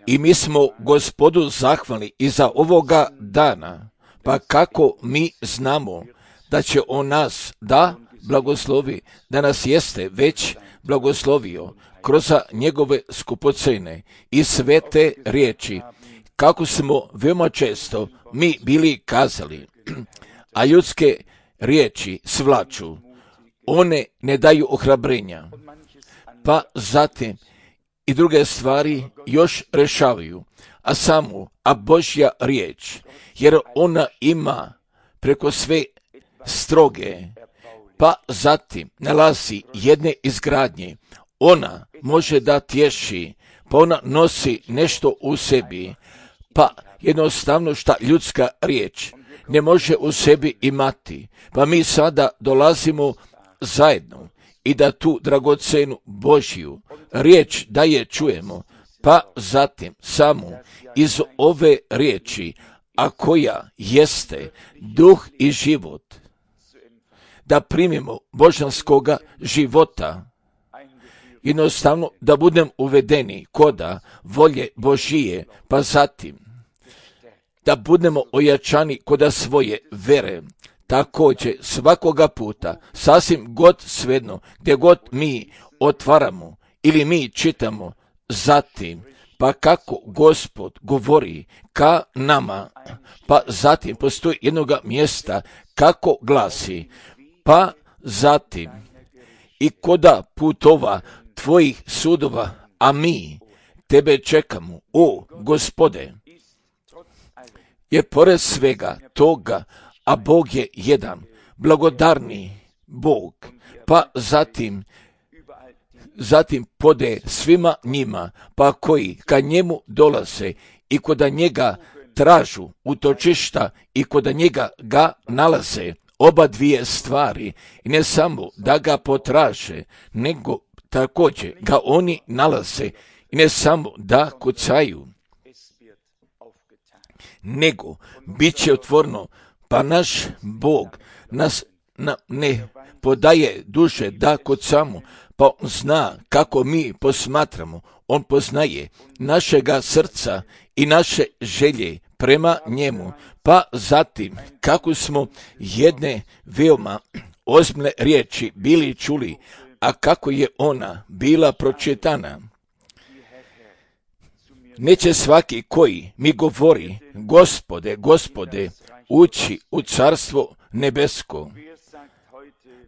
I mi smo Gospodu zahvalni i za ovoga dana, pa kako mi znamo da će on nas da blagoslovi, da nas jeste već blagoslovio kroz njegove skupocene i svete riječi, kako smo veoma često mi bili kazali, a ljudske riječi svlaču, one ne daju ohrabrenja, pa zatim i druge stvari još rešavaju, a Božja riječ, jer ona ima preko sve stroge, pa zatim nalazi jedne izgradnje, ona može da tješi, pa ona nosi nešto u sebi, pa jednostavno šta ljudska riječ ne može u sebi imati, pa mi sada dolazimo zajedno i da tu dragocenu Božju riječ da je čujemo, pa zatim samo iz ove riječi, a koja jeste duh i život, da primimo božanskoga života, jednostavno da budem uvedeni koda volje Božije, pa zatim da budemo ojačani koda svoje vere. Također svakoga puta, sasvim god svejedno, gdje god mi otvaramo ili mi čitamo, zatim, pa kako Gospod govori ka nama, pa zatim postoji jednoga mjesta kako glasi, pa zatim i koda putova tvojih sudova, a mi tebe čekamo, o Gospode, jer pored svega toga, a Bog je jedan, blagodarni Bog, pa zatim pode svima njima, pa koji ka njemu dolaze i koda njega tražu utočišta i koda njega ga nalaze, oba dvije stvari, i ne samo da ga potraže, nego također ga oni nalaze, i ne samo da kucaju, nego bit će otvoreno, pa naš Bog nas ne podaje duše da kucamo, pa on zna kako mi posmatramo, on poznaje našega srca i naše želje prema njemu, pa zatim kako smo jedne veoma ozbiljne riječi bili čuli, a kako je ona bila pročitana. Neće svaki koji mi govori, Gospode, Gospode, ući u carstvo nebesko.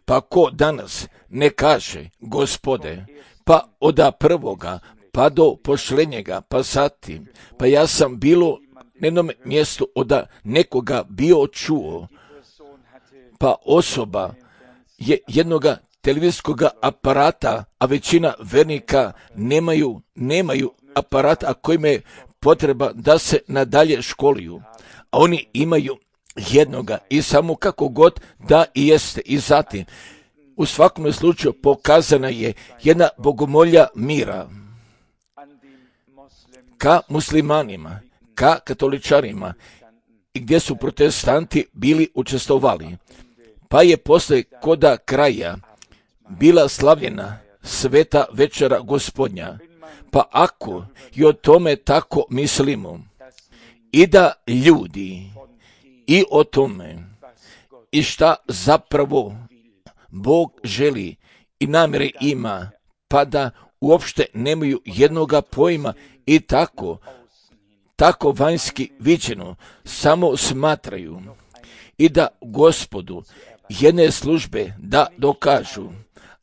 Pa ko danas ne kaže, Gospode, pa od prvoga, pa do pošlenjega, pa zatim, pa ja sam bilo na jednom mjestu od nekoga bio čuo, pa osoba je jednoga televizijskog aparata, a većina vernika nemaju aparata, a kojima je potreba da se nadalje školuju, a oni imaju jednoga i samo kako god da i jeste. I zatim, u svakom slučaju pokazana je jedna bogomolja mira ka muslimanima, ka katoličarima, i gdje su protestanti bili učestvovali. Pa je posle koda kraja bila slavljena sveta večera Gospodnja. Pa ako i o tome tako mislimo, i da ljudi i o tome i šta zapravo Bog želi i namjere ima, pa da uopšte nemaju jednoga pojma i tako vanjski viđeno samo smatraju, i da Gospodu jedne službe da dokažu,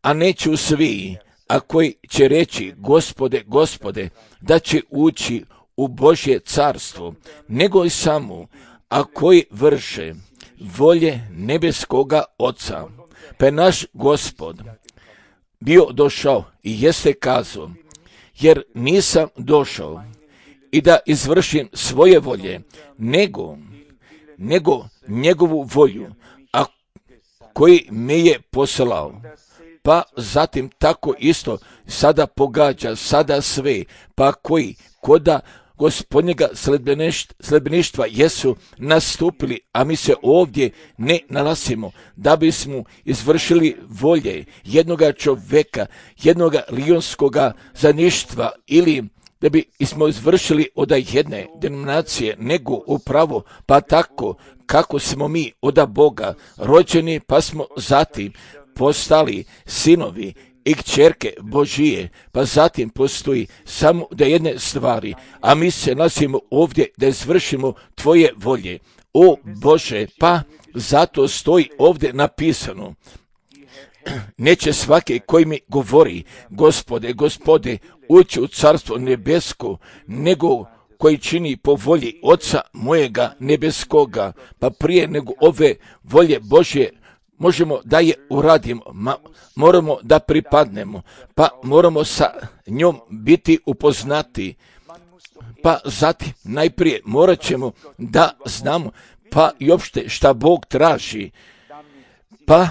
a neću svi, a koji će reći Gospode, Gospode, da će ući u Božje carstvo, nego i samo, a koji vrše volje nebeskoga Oca. Pa je naš Gospod bio došao i jeste kazao, jer nisam došao i da izvršim svoje volje, nego njegovu volju, a koji me je poslao. Pa zatim tako isto sada pogađa, sada sve, pa koji koda gospodnjega sledbeništva jesu nastupili, a mi se ovdje ne nalazimo da bismo izvršili volje jednoga čovjeka, jednoga lionskoga zaništva ili da bi smo izvršili od jedne denominacije, nego upravo pa tako kako smo mi od Boga rođeni, pa smo zatim postali sinovi i kćerke Božije, pa zatim postoji samo da jedne stvari, a mi se nalazimo ovdje da izvršimo tvoje volje. O Bože, pa zato stoji ovdje napisano, neće svaki koji mi govori, Gospode, Gospode, ući u carstvo nebesko, nego koji čini po volji Oca mojega nebeskoga. Pa prije nego ove volje Božje možemo da je uradimo, moramo da pripadnemo, pa moramo sa njom biti upoznati. Pa zatim najprije morat ćemo da znamo pa i opšte šta Bog traži. Pa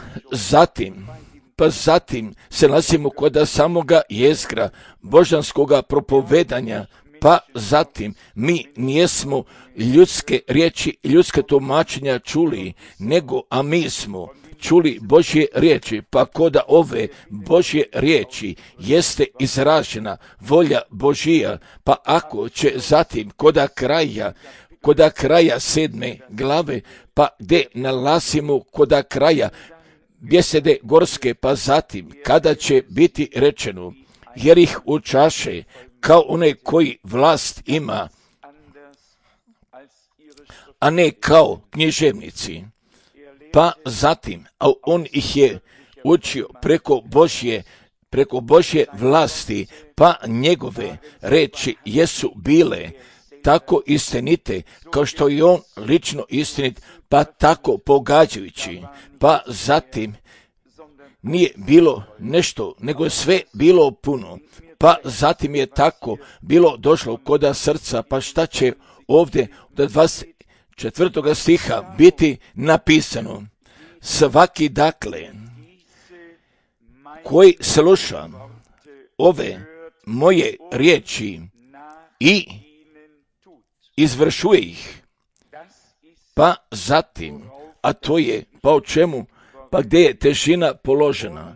zatim se nalazimo kod samoga jezgra božanskoga propovedanja, pa zatim mi nijesmo ljudske riječi, ljudske tumačenja čuli, nego a mi smo čuli Božje riječi, pa koda ove Božje riječi jeste izražena volja Božija, pa ako će zatim koda kraja 7. glave, pa gdje nalazimo koda kraja bjesede gorske, pa zatim kada će biti rečeno, jer ih učaše kao onaj koji vlast ima, a ne kao književnici. Pa zatim, a on ih je učio preko Božje vlasti, pa njegove reči jesu bile tako istinite, kao što je on lično istinit, pa tako pogađajući. Pa zatim nije bilo nešto, nego sve bilo puno. Pa zatim je tako bilo došlo koda srca, pa šta će ovdje od 24. stiha biti napisano? Svaki dakle koji sluša ove moje riječi i izvršuje ih, pa zatim, a to je, pa o čemu, pa gdje je težina položena,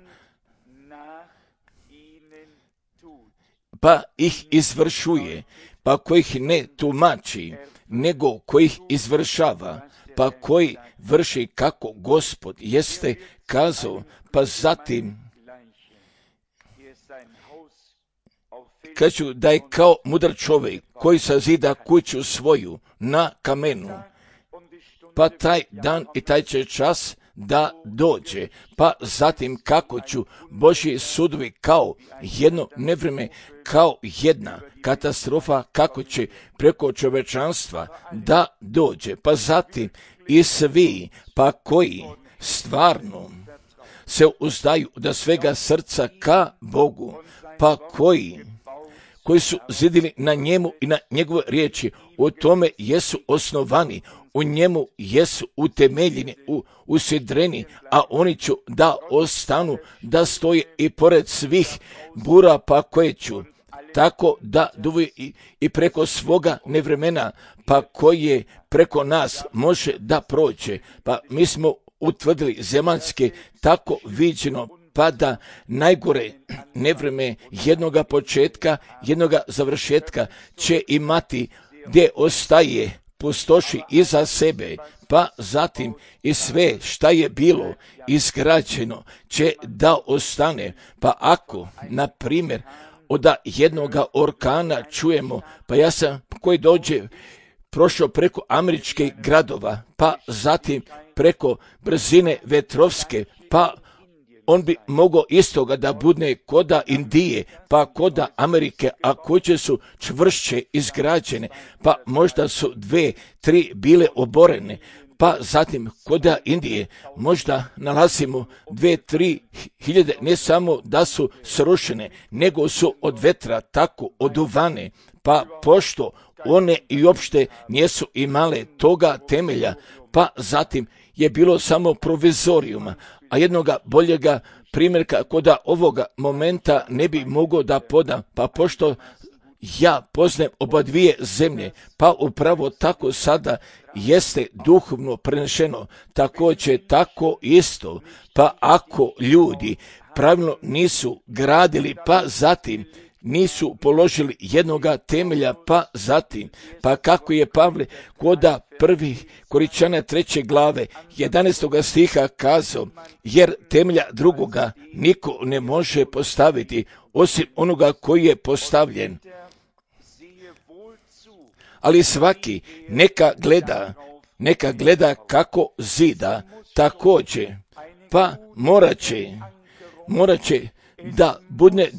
pa ih izvršuje, pa koji ih ne tumači, nego koji ih izvršava, pa koji vrši kako Gospod jeste kazao, pa zatim kažu da je kao mudar čovjek koji sazida kuću svoju na kamenu, pa taj dan i taj će čas da dođe, pa zatim kako ću Božji sudovi kao jedno nevrijeme, kao jedna katastrofa, kako će preko čovečanstva da dođe, pa zatim i svi, pa koji stvarno se uzdaju da svega srca ka Bogu, pa koji su zidili na njemu i na njegove riječi, u tome jesu osnovani, u njemu jesu utemeljeni, usidreni, a oni ću da ostanu, da stoje i pored svih bura, pa koje ću tako da duvi i preko svoga nevremena, pa koje preko nas može da prođe. Pa mi smo utvrdili zemaljske tako viđeno, pa da najgore nevreme jednoga početka, jednoga završetka će imati gdje ostaje pustoši iza sebe, pa zatim i sve šta je bilo izgrađeno će da ostane. Pa ako, na primjer, od jednoga orkana čujemo, pa ja sam koji dođe prošao preko američkih gradova, pa zatim preko brzine vetrovske, pa on bi mogao istoga da budne koda Indije, pa koda Amerike, a kuće su čvršće izgrađene, pa možda su 2-3 bile oborene, pa zatim koda Indije možda nalazimo 2-3 hiljade, ne samo da su srušene, nego su od vetra tako oduvane, pa pošto one i uopšte nisu imale toga temelja, pa zatim je bilo samo provizorijuma, a jednoga boljega primjerka koda ovoga momenta ne bi mogao da podam, pa pošto ja poznajem oba dvije zemlje, pa upravo tako sada jeste duhovno prenešeno, također tako isto, pa ako ljudi pravilno nisu gradili, pa zatim nisu položili jednoga temelja, pa zatim, pa kako je Pavle koda prvih Koričana 3. glave 11. stiha kazao, jer temelja drugoga niko ne može postaviti, osim onoga koji je postavljen. Ali svaki neka gleda kako zida, također, pa morat će da bude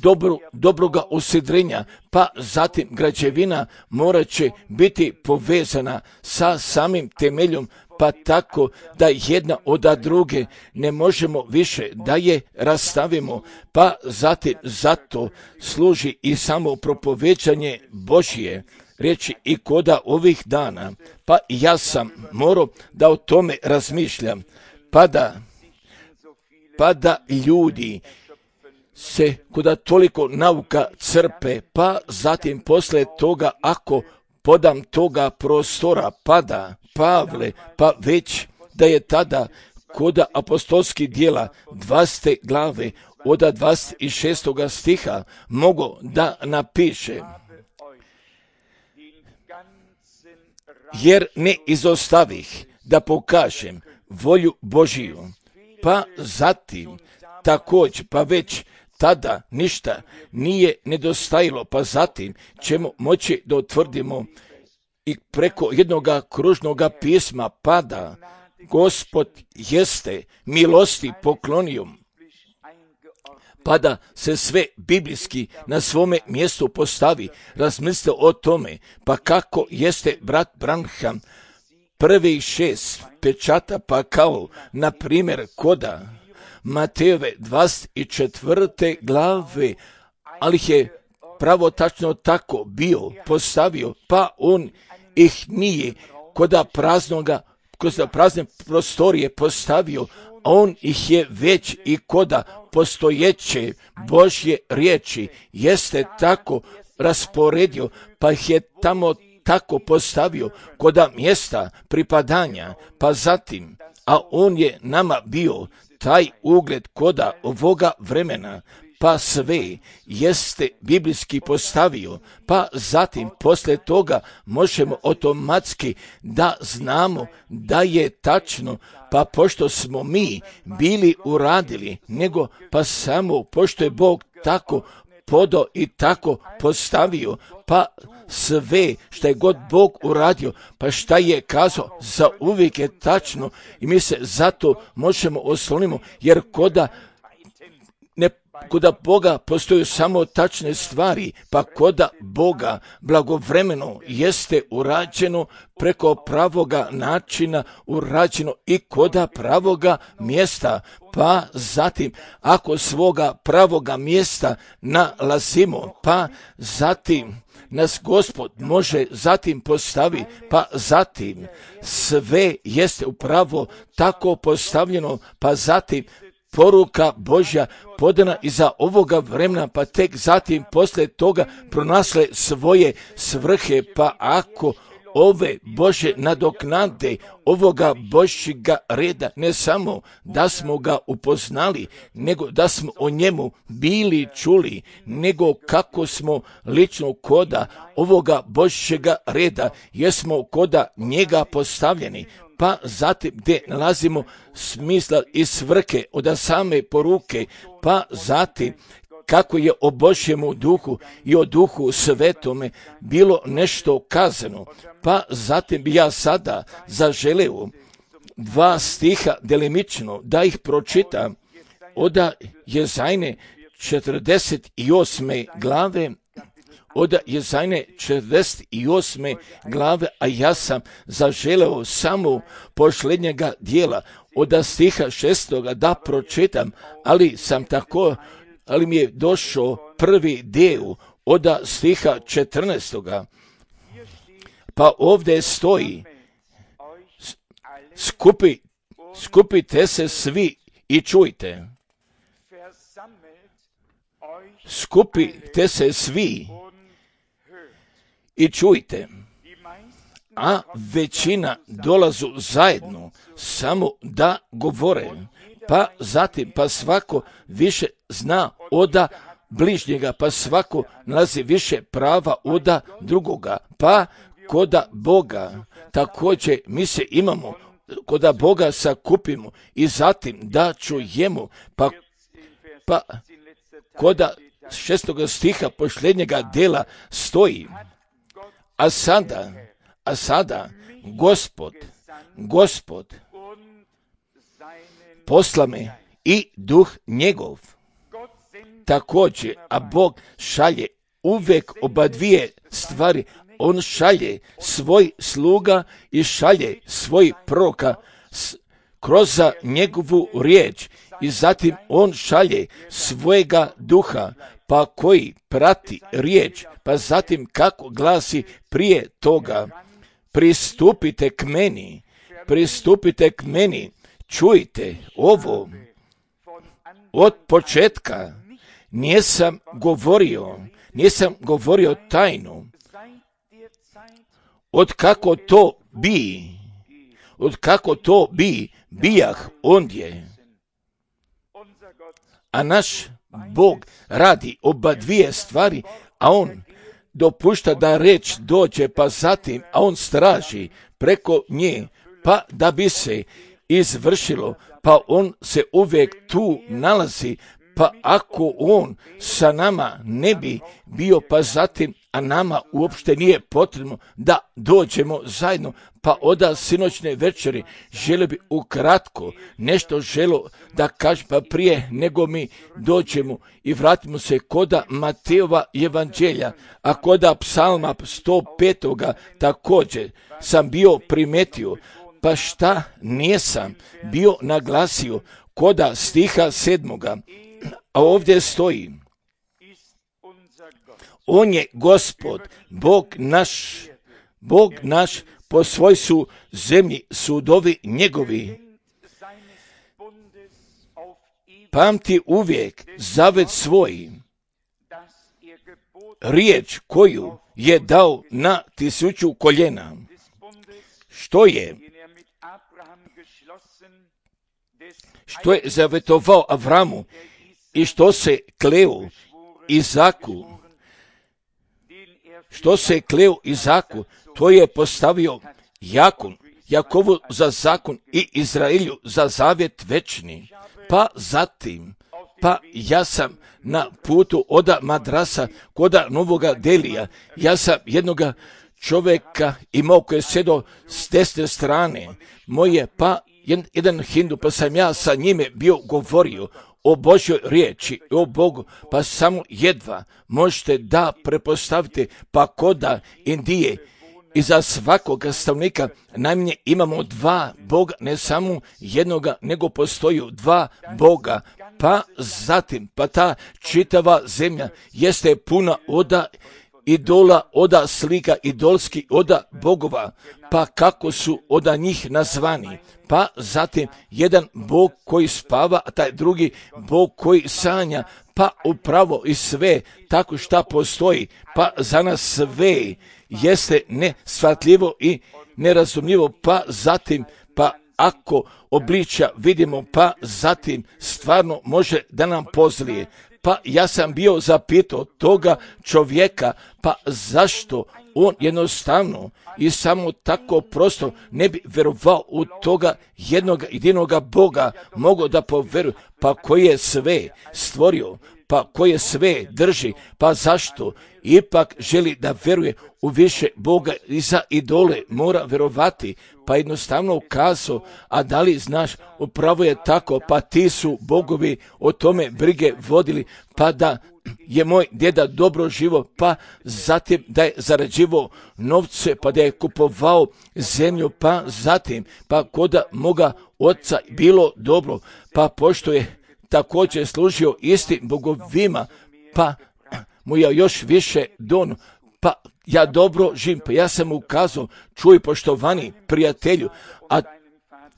dobroga usidrenja, pa zatim građevina morat će biti povezana sa samim temeljom, pa tako da jedna od druge ne možemo više da je rastavimo, pa zatim zato služi i samo propoveđanje Božje riječi i koda ovih dana, pa ja sam morao da o tome razmišljam, pa da ljudi se kuda toliko nauka crpe, pa zatim posle toga ako podam toga prostora pada Pavle, pa već da je tada koda apostolskih djela 20. glave od 26. stiha mogo da napiše, jer ne izostavih da pokažem volju Božiju, pa zatim također, pa već tada ništa nije nedostajalo, pa zatim ćemo moći da utvrdimo i preko jednoga kružnoga pisma pada, Gospod jeste milosti poklonio, pa da se sve biblijski na svome mjestu postavi. Razmislite o tome, pa kako jeste brat Branham prvih 6 pečata, pa kao na primjer koda Matejove 24. glave, ali je pravo tačno tako bio postavio, pa on ih nije koda prazne prostorije postavio, on ih je već i koda postojeće Božje riječi jeste tako rasporedio, pa ih je tamo tako postavio koda mjesta pripadanja, pa zatim, a on je nama bio taj ugled koda ovoga vremena, pa sve jeste biblijski postavio, pa zatim posle toga možemo automatski da znamo da je tačno, pa pošto smo mi bili uradili, nego pa samo pošto je Bog tako podao i tako postavio, pa sve šta je god Bog uradio, pa šta je kazao, za uvijek je tačno i mi se zato možemo oslonimo, jer koda Boga postoju samo tačne stvari, pa koda Boga blagovremeno jeste urađeno preko pravoga načina, urađeno i koda pravoga mjesta, pa zatim ako svoga pravoga mjesta nalazimo, pa zatim nas Gospod može zatim postavi, pa zatim sve jeste upravo tako postavljeno, pa zatim poruka Božja podana iza ovoga vremena, pa tek zatim posle toga pronasle svoje svrhe, pa ako ove Bože nadoknade ovoga Božjega reda, ne samo da smo ga upoznali, nego da smo o njemu bili čuli, nego kako smo lično koda ovoga Božjega reda, jesmo koda njega postavljeni, pa zatim gdje nalazimo smisla i svrhe od same poruke, pa zatim kako je o Božjemu duhu i o duhu svetome bilo nešto kazano, pa zatim bi ja sada zaželeo 2 stiha delimično da ih pročitam od Jezajne 48. glave, od Jezajne 48. glave, a ja sam zaželeo samo posljednjega dijela od stiha 6. da pročitam, ali mi je došao prvi dio od stiha 14. Pa ovdje stoji, skupite se svi i čujte. Skupite se svi i čujte, a većina dolazu zajedno samo da govore, pa zatim pa svako više zna oda bližnjega, pa svako nalazi više prava oda drugoga, pa koda Boga također mi se imamo, koda Boga sakupimo i zatim da čujemo, pa koda 6. stiha posljednjega dela stoji, a sada Gospod posla me i duh njegov. Također, a Bog šalje uvijek oba dvije stvari. On šalje svoj sluga i šalje svoj proroka kroz njegovu riječ i zatim on šalje svojega duha, pa koji prati riječ, pa zatim kako glasi prije toga, pristupite k meni, čujte ovo, od početka nisam govorio tajnu, od kako to bi bijah ondje. A naš Bog radi oba dvije stvari, a on dopušta da reč dođe, pa zatim, a on straži preko nje, pa da bi se izvršilo, pa on se uvijek tu nalazi, pa ako on sa nama ne bi bio, pa zatim, a nama uopšte nije potrebno da dođemo zajedno, pa oda sinoćne večeri žele bi ukratko nešto da kažem, pa prije nego mi dođemo i vratimo se koda Matejova evanđelja, a koda psalma 105. također sam bio primetio, pa šta nisam bio naglasio koda stiha 7. A ovdje stoji, on je Gospod, Bog naš, po svoj su zemlji sudovi njegovi. Pamti uvijek zavet svoj, riječ koju je dao na 1000 koljena, što je zavetovao Avramu i što se kleo Izaku, to je postavio Jakovu za zakon i Izraelju za zavjet večni. Pa zatim, ja sam na putu oda Madrasa koda Novoga Delija, ja sam jednoga čovjeka imao koji je sjedo s desne strane moje, pa jedan Hindu, pa sam ja sa njime bio govorio o Božjoj riječi, o Bogu, pa samo jedva možete da prepostavite, pa koda Indije i za svakoga stanovnika najmanje imamo 2 Boga, ne samo jednoga, nego postoji 2 Boga, pa zatim, pa ta čitava zemlja jeste puna oda idola, oda slika, idolski, oda bogova, pa kako su oda njih nazvani, pa zatim jedan Bog koji spava, a taj drugi Bog koji sanja, pa upravo i sve tako šta postoji, pa za nas sve jeste neshvatljivo i nerazumljivo, pa zatim, pa ako obličja vidimo, pa zatim stvarno može da nam pozlije. Pa ja sam bio zapitao toga čovjeka, pa zašto on jednostavno i samo tako prosto ne bi vjerovao u toga jedinoga Boga, mogao da poveruje, pa koji je sve stvorio, pa koji je sve drži, pa zašto ipak želi da vjeruje u više Boga i za idole mora vjerovati, pa jednostavno ukazao, a da li znaš, upravo je tako, pa ti su bogovi o tome brige vodili, pa da je moj djeda dobro živo, pa zatim da je zarađivao novce, pa da je kupovao zemlju, pa zatim, pa koda moga oca bilo dobro, pa pošto je također služio istim bogovima, pa mu je još više don, pa ja dobro živim, pa ja sam mu ukazao, čuj poštovani prijatelju, a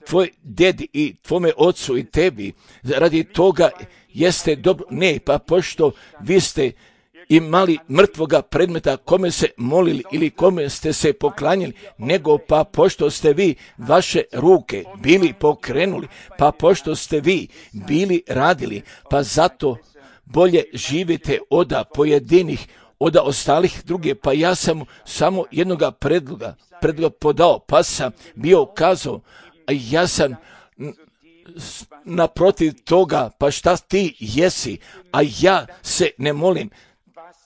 tvoj dedi i tvome ocu i tebi radi toga jeste dobro, ne, pa pošto vi ste imali mrtvoga predmeta kome se molili ili kome ste se poklanjali, nego pa pošto ste vi vaše ruke bili pokrenuli, pa pošto ste vi bili radili, pa zato bolje živite od pojedinih, od ostalih druge. Pa ja sam samo jednoga predloga podao, pa sam bio kazao, a ja sam naprotiv toga, pa šta ti jesi, a ja se ne molim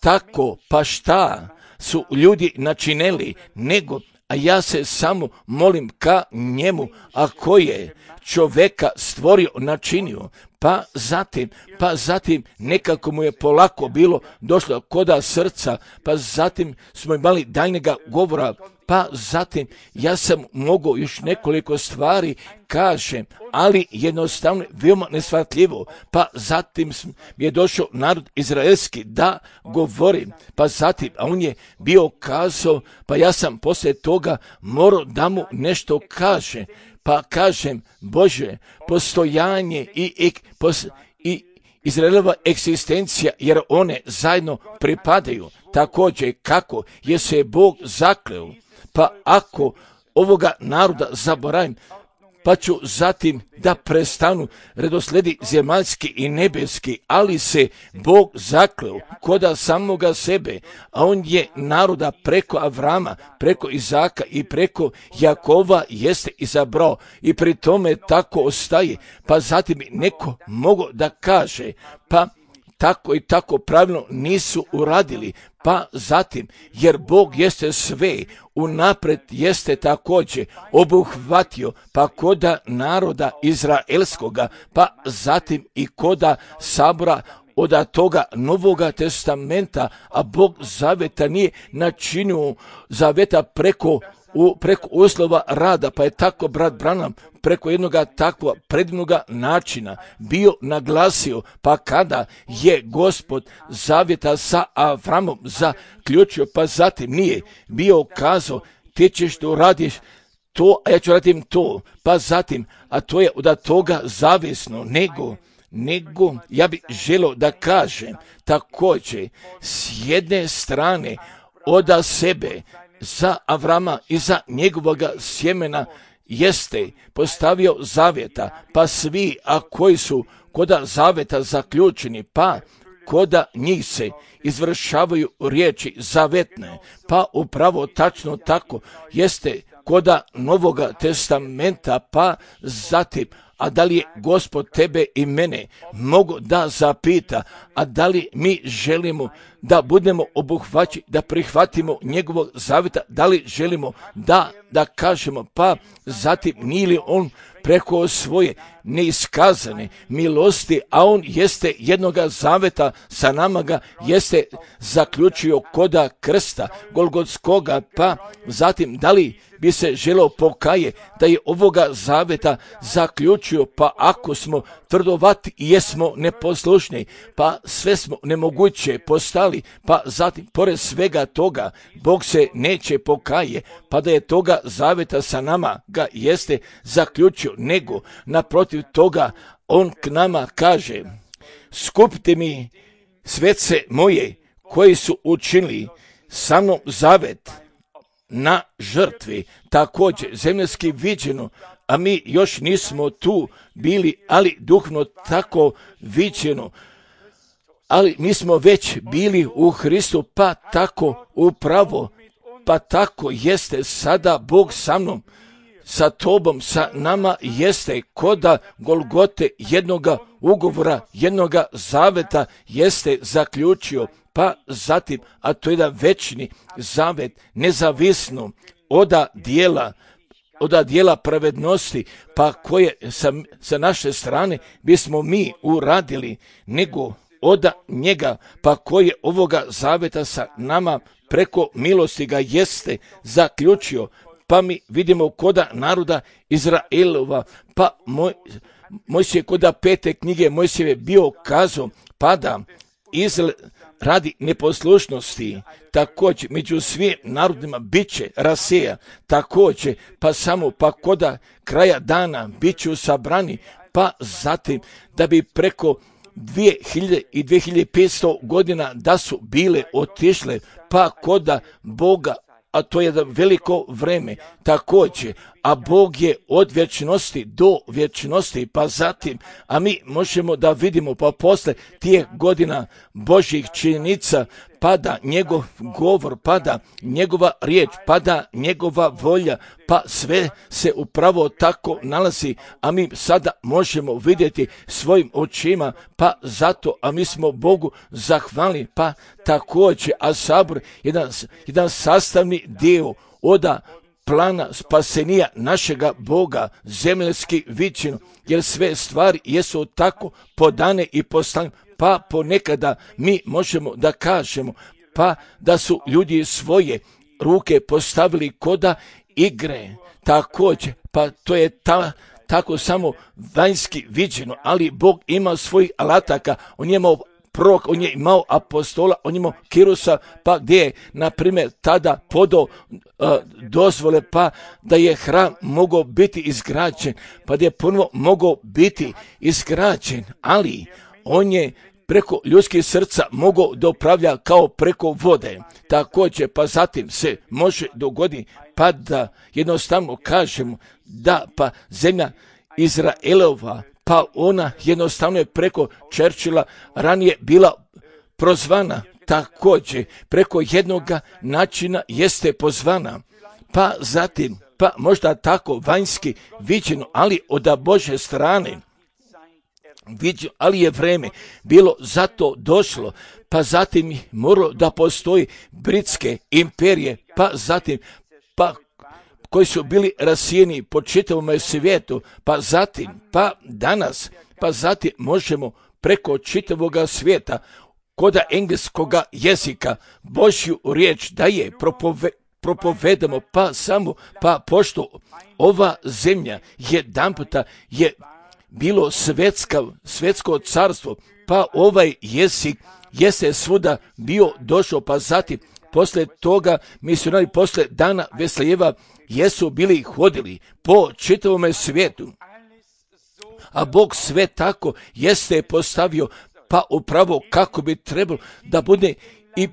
tako, pa šta su ljudi načinili, nego, a ja se samo molim ka njemu, a ko je čoveka stvorio, načinio, pa zatim nekako mu je polako bilo došlo koda srca, pa zatim smo imali daljnjega govora, pa zatim ja sam mogao još nekoliko stvari kažem, ali jednostavno veoma neshvatljivo, pa zatim je došao narod izraelski da govori, pa zatim, a on je bio kazao, pa ja sam poslije toga morao da mu nešto kaže, pa kažem, Bože, postojanje i Izraelova egzistencija, jer one zajedno pripadaju, također kako je se Bog zakleo, pa ako ovoga naroda zaboravim, pa ću zatim da prestanu redosledi zemaljski i nebeski, ali se Bog zakleo koda samoga sebe, a on je naroda preko Avrama, preko Izaka i preko Jakova jeste izabrao i pri tome tako ostaje. Pa zatim neko mogo da kaže, pa tako i tako pravilno nisu uradili, pa zatim, jer Bog jeste sve, unapred jeste također obuhvatio, pa koda naroda izraelskoga, pa zatim i koda sabora od toga Novoga testamenta, a Bog zaveta nije načinio zaveta preko uslova rada, pa je tako brat Branham preko jednoga takvog predivnoga načina bio naglasio, pa kada je Gospod zavjeta sa Avramom zaključio, pa zatim nije bio kazao, ti ćeš to radiš to, a ja ću radim to, pa zatim, a to je od toga zavisno, nego ja bih želio da kažem također s jedne strane od sebe za Avrama i za njegovoga sjemena jeste postavio zavjeta, pa svi, a koji su koda zavjeta zaključeni, pa koda njih se izvršavaju riječi zavetne, pa upravo tačno tako jeste koda Novoga testamenta, pa zatim, a da li je Gospod tebe i mene mogu da zapita, a da li mi želimo da budemo obuhvaćeni, da prihvatimo njegovog zavjeta, da li želimo da kažemo, pa zatim nije li on preko svoje neiskazane milosti, a on jeste jednoga zaveta sa nama ga jeste zaključio koda krsta Golgotskoga, pa zatim da li bi se želeo pokaje da je ovoga zaveta zaključio, pa ako smo tvrdovati i jesmo neposlušni, pa sve smo nemoguće postali, pa zatim pored svega toga Bog se neće pokaje, pa da je toga zaveta sa nama ga jeste zaključio, nego naprotiv toga on k nama kaže, skupite mi svece moje koji su učinili sa mnom zavet na žrtvi, također zemljski viđeno, a mi još nismo tu bili, ali duhovno tako viđeno, ali mi smo već bili u Hristu, pa tako upravo, pa tako jeste sada Bog sa mnom, sa tobom, sa nama jeste koda Golgote jednoga ugovora, jednoga zaveta jeste zaključio, pa zatim, a to je da večni zavet, nezavisno od dijela pravednosti, pa koje sa naše strane bismo mi uradili, nego od njega, pa koje ovoga zaveta sa nama preko milosti ga jeste zaključio, pa mi vidimo koda naroda Izraelova, pa Mojsije koda 5. knjige Mojsijeve bio kazao, pa da radi neposlušnosti, također među svim narodima bit će raseja, također pa koda kraja dana bit ću sabrani, pa zatim da bi preko 2000 i 2500 godina da su bile otišle, pa koda Boga, a to je jedno veliko vreme također, a Bog je od vječnosti do vječnosti, pa zatim, a mi možemo da vidimo, pa posle tih godina Božjih činjenica, pada njegov govor, pada njegova riječ, pada njegova volja, pa sve se upravo tako nalazi, a mi sada možemo vidjeti svojim očima, pa zato, a mi smo Bogu zahvalni, pa također, a sabor jedan sastavni dio od plana spasenija našega Boga, zemaljski viđeno, jer sve stvari jesu tako podane i poslane, pa ponekada mi možemo da kažemo, pa da su ljudi svoje ruke postavili koda igre, također, pa to je tako samo vanjski viđeno, ali Bog ima svojih alataka, on je imao prorok, on je imao apostola, on je imao Kirusa, pa gdje je, na primjer, tada podao dozvole, pa da je hram mogao biti izgrađen, pa da je ponovo mogao biti izgrađen, ali on je preko ljudskih srca mogao da upravlja kao preko vode. Također, pa zatim se može dogoditi, pa da jednostavno kažemo da pa zemlja Izraelova, pa ona jednostavno je preko Churchilla ranije bila prozvana, također preko jednoga načina jeste pozvana, pa zatim, pa možda tako vanjski viđeno, ali od Božje strane viđeno, ali je vreme bilo zato došlo, pa zatim moralo da postoji britske imperije, pa zatim, pa koji su bili rasijeni po čitavom svijetu, pa zatim, pa danas, pa zatim možemo preko čitavog svijeta, koda engleskoga jezika, Božju riječ da je propovedamo, pa samo, pa pošto ova zemlja jedanputa je bilo svetsko carstvo, pa ovaj jezik jeste svuda bio došao, pa zatim, posle toga misionari posle dana Veslejeva jesu bili hodili po čitavom svijetu, a Bog sve tako jeste postavio, pa upravo kako bi trebalo da bude i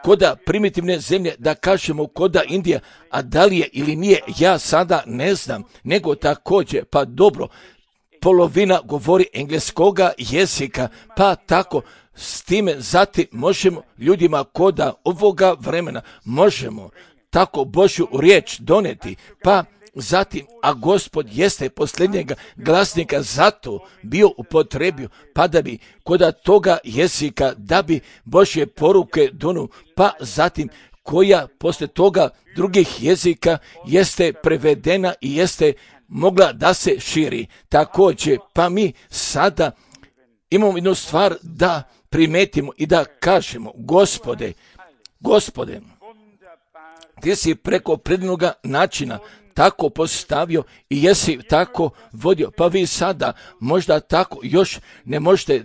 koda primitivne zemlje, da kažemo koda Indija, a da li je ili nije, ja sada ne znam, nego također, pa dobro, polovina govori engleskoga jezika, pa tako s time zatim možemo ljudima koda ovoga vremena, možemo tako Božju riječ doneti, pa zatim, a Gospod jeste posljednjega glasnika zato bio upotrebio, pa da bi koda toga jezika, da bi Božje poruke donu, pa zatim koja posle toga drugih jezika jeste prevedena i jeste mogla da se širi. Također, pa mi sada imamo jednu stvar da primetimo i da kažemo, Gospode, ti si preko prednoga načina tako postavio i jesi tako vodio, pa vi sada možda tako još ne možete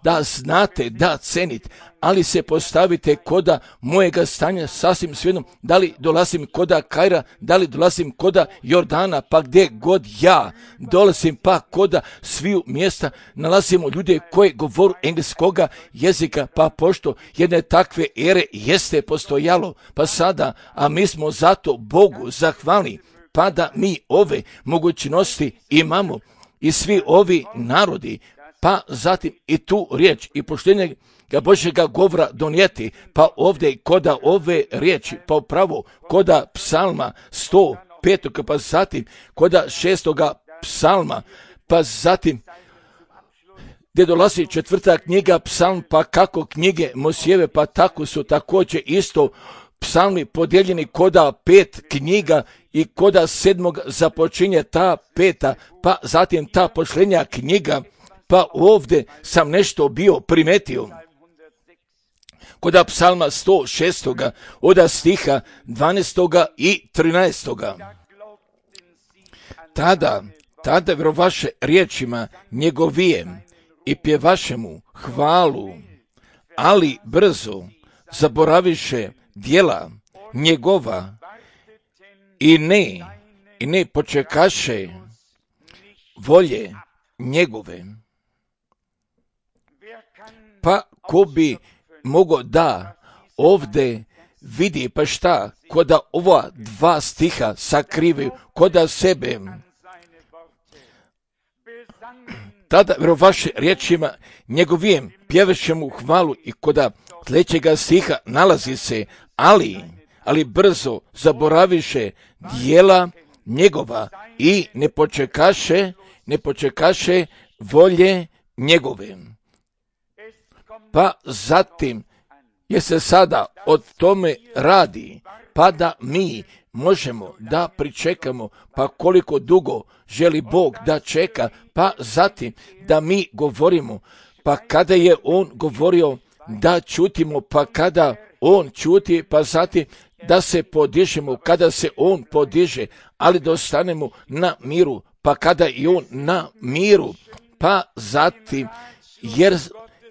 da znate, da cenite, ali se postavite koda mojega stanja sasvim svejedno, da li dolazim koda Kaira, da li dolazim koda Jordana, pa gdje god ja dolazim, pa koda sviju mjesta nalazimo ljude koji govoru engleskoga jezika, pa pošto jedne takve ere jeste postojalo, pa sada, a mi smo zato Bogu zahvalni, pa da mi ove mogućnosti imamo i svi ovi narodi, pa zatim i tu riječ i poštenje Božjega govora donijeti, pa ovdje koda ove riječi, pa upravo koda psalma 105, pa zatim koda 6. psalma, pa zatim gdje dolazi 4. knjiga psalm, pa kako knjige Mojsijeve, pa tako su također isto psalmi podijeljeni koda 5 knjiga i koda 7. započinje ta 5, pa zatim ta posljednja knjiga, pa ovdje sam nešto bio primetio. Koda psalma 106. od stiha 12. i 13. Tada vjerovaše riječima njegovijem i pjevaše mu hvalu, ali brzo zaboraviše djela njegova i ne počekaše volje njegove. Pa ko bi mogao da ovdje vidi, pa šta, ko da ova dva stiha sakrivaju, ko da sebe tada vaše riječima njegovijem pjevaše mu hvalu i koda sledećega stiha nalazi se, ali brzo zaboraviše dijela njegova i ne počekaše volje njegove. Pa zatim je se sada od tome radi, pa da mi možemo da pričekamo, pa koliko dugo želi Bog da čeka, pa zatim da mi govorimo, pa kada je On govorio da čutimo, pa kada On čuti, pa zatim da se podižemo, kada se On podiže, ali da ostanemo na miru, pa kada i On na miru, pa zatim, jer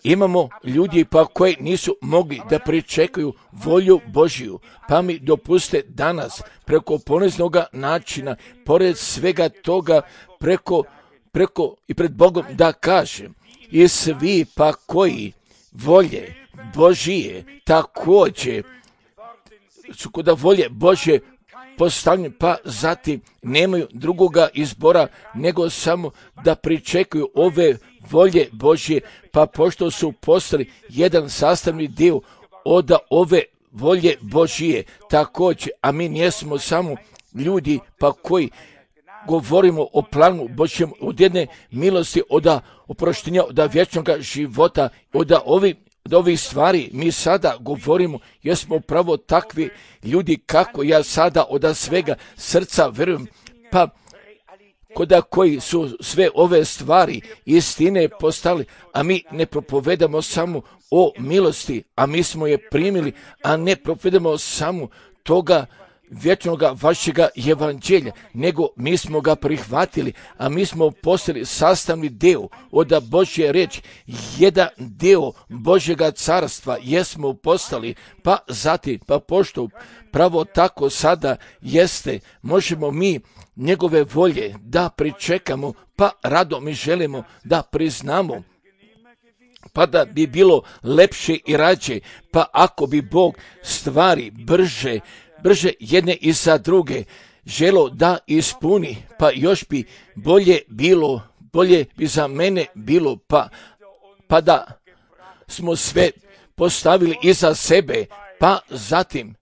imamo ljudi pa koji nisu mogli da pričekaju volju Božiju, pa mi dopuste danas preko poniznog načina, pored svega toga, preko i pred Bogom da kažem, i svi pa koji volje Božije također su kod volje Božje postavljeni, pa zatim nemaju drugoga izbora nego samo da pričekuju ove volje Božje, pa pošto su postali jedan sastavni dio od ove volje Božije također, a mi nismo samo ljudi pa koji govorimo o planu Božjem, od jedne milosti, od oproštenja, od vječnog života, od ovih stvari mi sada govorimo, jer smo pravo takvi ljudi kako ja sada od svega srca verujem, pa koda koji su sve ove stvari istine postali, a mi ne propovedamo samo o milosti, a mi smo je primili, a ne propovedamo samo toga vječnog vašega evanđelja, nego mi smo ga prihvatili, a mi smo postali sastavni dio od Božje riječi, jedan dio Božjega carstva jesmo postali, pa zatim, pa pošto pravo tako sada jeste, možemo mi njegove volje da pričekamo, pa rado mi želimo da priznamo, pa da bi bilo lepše i rađe, pa ako bi Bog stvari brže jedne i za druge želo da ispuni, pa još bi bolje bi za mene bilo, pa da smo sve postavili iza sebe, pa zatim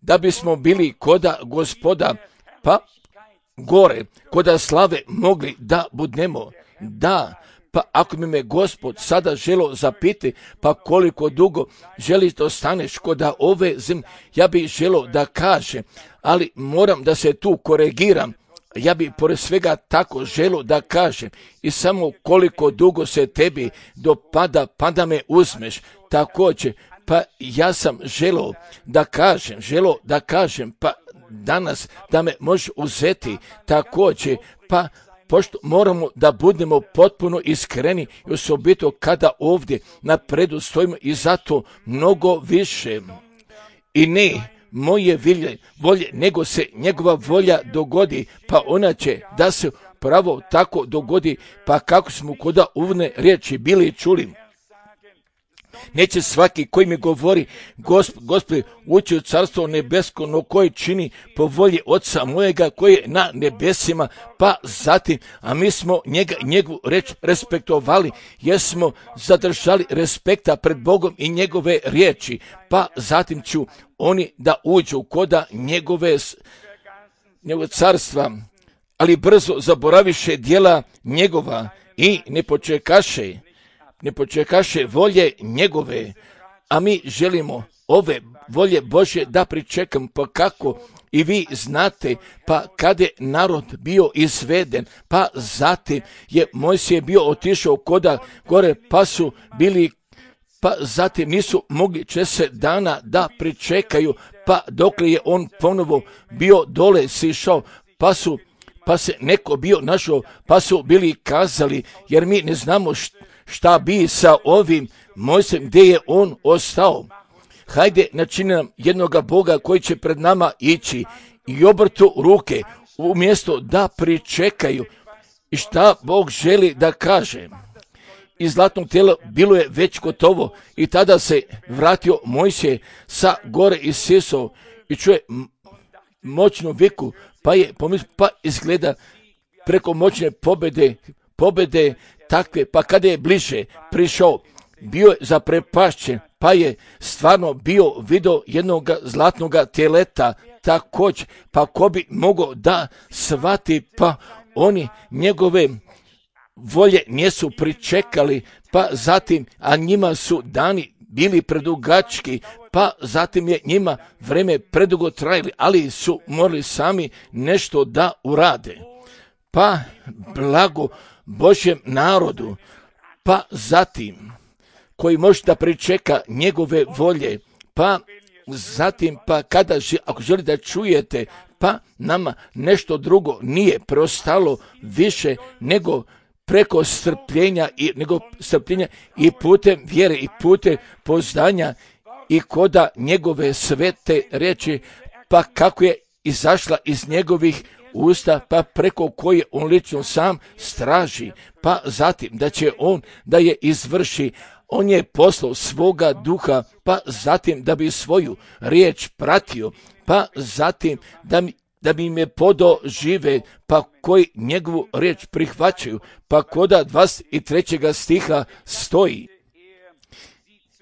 da bismo bili koda Gospoda, pa gore, koda slave mogli da budnemo, da. Pa ako mi me Gospod sada želo zapiti, pa koliko dugo želiš da ostaneš kod ove zemlje, ja bih želo da kažem, ali moram da se tu koregiram, ja bih pored svega tako želo da kažem, i samo koliko dugo se tebi dopada, pa da me uzmeš, također, pa ja sam želo da kažem, pa danas da me možeš uzeti, također, pa pošto moramo da budemo potpuno iskreni i osobito kada ovdje na predu stojimo i zato mnogo više. I ne moje volje, nego se njegova volja dogodi, pa ona će da se pravo tako dogodi, pa kako smo kod uvodne riječi bili čuli. Neće svaki koji mi govori, Gospodi, ući u carstvo nebesko, no koji čini po volji Oca mojega koji je na nebesima, pa zatim, a mi smo njegovu reč respektovali, jer smo zadržali respekta pred Bogom i njegove riječi, pa zatim ću oni da uđu koda njegov carstva, ali brzo zaboraviše dijela njegova i ne počekaše volje njegove, a mi želimo ove volje Božje da pričekam, pa kako i vi znate, pa kada je narod bio izveden, pa zatim je Mojsije bio otišao koda gore, pa su bili, pa zatim nisu mogli 40 dana da pričekaju, pa dokle je on ponovo bio dole sišao, pa se neko bio našao, pa su bili kazali, jer mi ne znamo šta bi sa ovim Mojsijem, gdje je on ostao. Hajde načini nam jednoga Boga koji će pred nama ići i obrtu ruke umjesto da pričekaju i šta Bog želi da kaže. i zlatnog tijela bilo je već gotovo i tada se vratio Mojsije sa gore i sisao i čuje moćnu viku, pa je pomislio, pa izgleda preko moćne pobjede takve, pa kada je bliže prišao, bio je zaprepašćen, pa je stvarno bio video jednog zlatnog teleta također, pa ko bi mogao da shvati, pa oni njegove volje nisu pričekali, pa zatim, a njima su dani bili predugački, pa zatim je njima vreme predugo trajali, ali su morali sami nešto da urade. Pa blago Božjem narodu, pa zatim koji može da pričeka njegove volje, pa zatim, pa ako želite da čujete, pa nama nešto drugo nije preostalo više nego preko strpljenja i putem vjere i putem poznanja i koda njegove svete riječi, pa kako je izašla iz njegovih usta, pa preko koje on lično sam straži, pa zatim da će on da je izvrši. On je poslao svoga duha, pa zatim da bi svoju riječ pratio, pa zatim da bi im je podao žive, pa koji njegovu riječ prihvaćaju, pa koda 23. stiha stoji: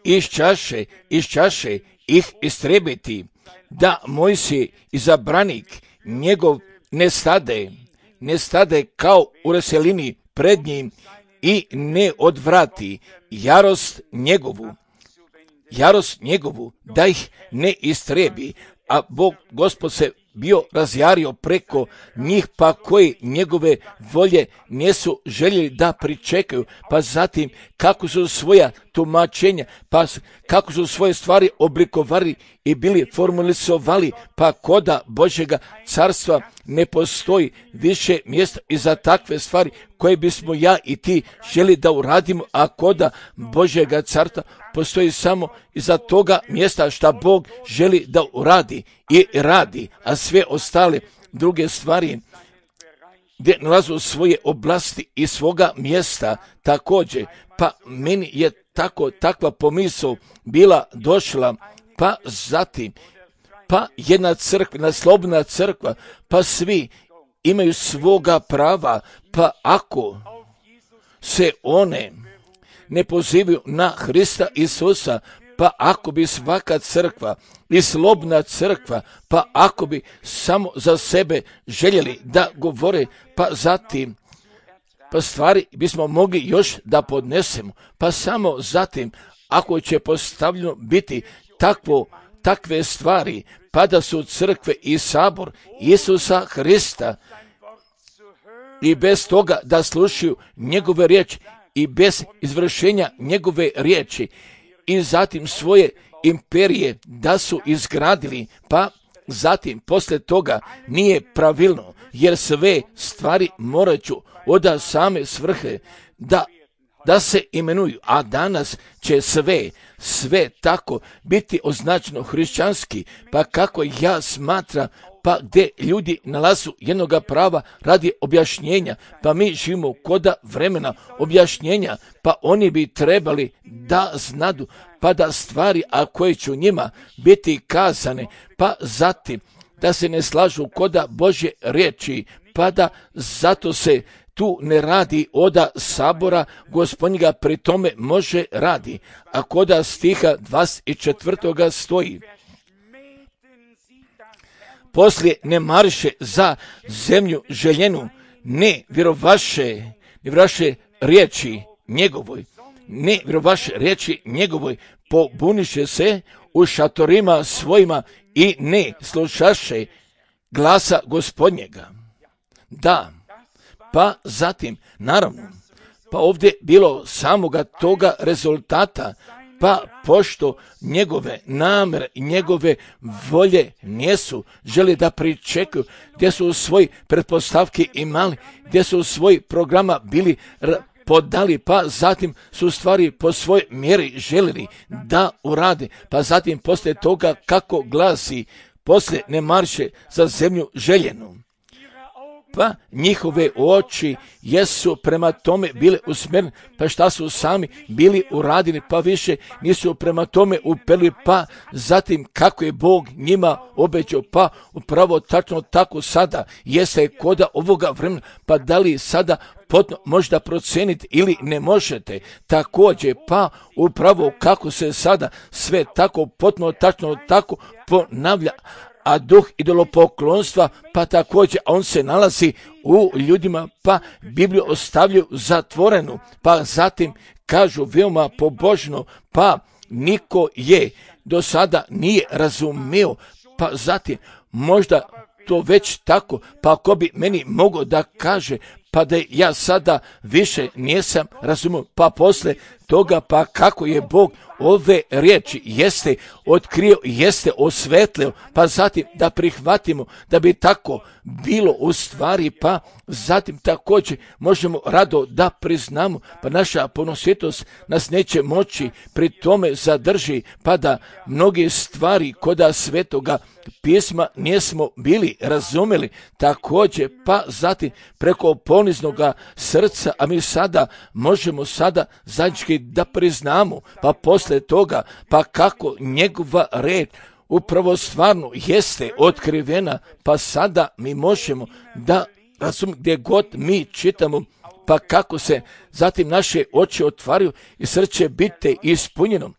iz čaše ih istrebiti, da Mojsije izabranik njegov ne stade kao u raselini pred njim i ne odvrati jarost njegovu da ih ne istrebi, a Bog Gospod se bio razjario preko njih, pa koji njegove volje nisu željeli da pričekaju, pa zatim kako su svoja tumačenja, pa kako su svoje stvari oblikovali i bili formalizovali, pa koda Božjega carstva ne postoji više mjesta i za takve stvari koje bismo ja i ti želi da uradimo, a koda Božjega carstva postoji samo iza toga mjesta šta Bog želi da uradi i radi, a sve ostale druge stvari gdje nalazu svoje oblasti i svoga mjesta također. Pa meni je takva pomisao bila došla, pa zatim, pa jedna crkva, slobodna crkva, pa svi imaju svoga prava, pa ako se one ne pozivaju na Hrista Isusa, pa ako bi svaka crkva i slobodna crkva, pa ako bi samo za sebe željeli da govore, pa zatim, pa stvari bismo mogli još da podnesemo, pa samo zatim, ako će postavljeno biti takve stvari, pa da su crkve i sabor Isusa Hrista i bez toga da slušaju njegove riječi i bez izvršenja njegove riječi i zatim svoje imperije da su izgradili, pa zatim poslije toga nije pravilno, jer sve stvari moraću od same svrhe da se imenuju, a danas će sve tako biti označeno hrišćanski, pa kako ja smatram, pa gdje ljudi nalazu jednoga prava radi objašnjenja, pa mi živimo koda vremena objašnjenja, pa oni bi trebali da znadu, pa da stvari, a koje će njima biti kazane, pa zatim da se ne slažu koda Božje riječi, pa da zato se tu ne radi oda sabora Gospodnjega, pri tome može radi. A koda stiha 24. stoji: poslije ne mariše za zemlju željenu, ne vjerovaše riječi njegovoj, pobuniše se u šatorima svojima i ne slušaše glasa Gospodnjega. Da, pa zatim, naravno, pa ovdje bilo samoga toga rezultata, pa pošto njegove namere i njegove volje nisu želi da pričekaju, gdje su svoj pretpostavki imali, gdje su svoj programa bili podali, pa zatim su stvari po svojoj mjeri željeli da urade, pa zatim poslije toga kako glasi, poslije ne marše za zemlju željenu. pa njihove oči jesu prema tome bile usmjerene, pa šta su sami bili uradili, pa više nisu prema tome upeli, pa zatim kako je Bog njima obećao, pa upravo tačno tako sada jeste koda ovoga vremena, pa da li sada potno možda proceniti ili ne možete, također pa upravo kako se sada sve tako potno tačno tako ponavlja, a duh idolopoklonstva, pa također on se nalazi u ljudima, pa Bibliju ostavljaju zatvorenu, pa zatim kažu veoma pobožno, pa niko je do sada nije razumio, pa zatim možda to već tako, pa ako bi meni mogao da kaže, pa da ja sada više nisam razumio, pa posle toga, pa kako je Bog ove riječi jeste otkrio, jeste osvetlio, pa zatim da prihvatimo da bi tako bilo u stvari, pa zatim također možemo rado da priznamo, pa naša ponositost nas neće moći pri tome zadrži, pa da mnoge stvari koda svetoga pisma nismo bili razumeli, također pa zatim preko poniznoga srca, a mi sada možemo sada zajednički da priznamo, pa posle toga, pa kako njegova reč upravo stvarno jeste otkrivena, pa sada mi možemo da razumijemo gdje god mi čitamo, pa kako se zatim naše oči otvaraju i srce biti ispunjeno.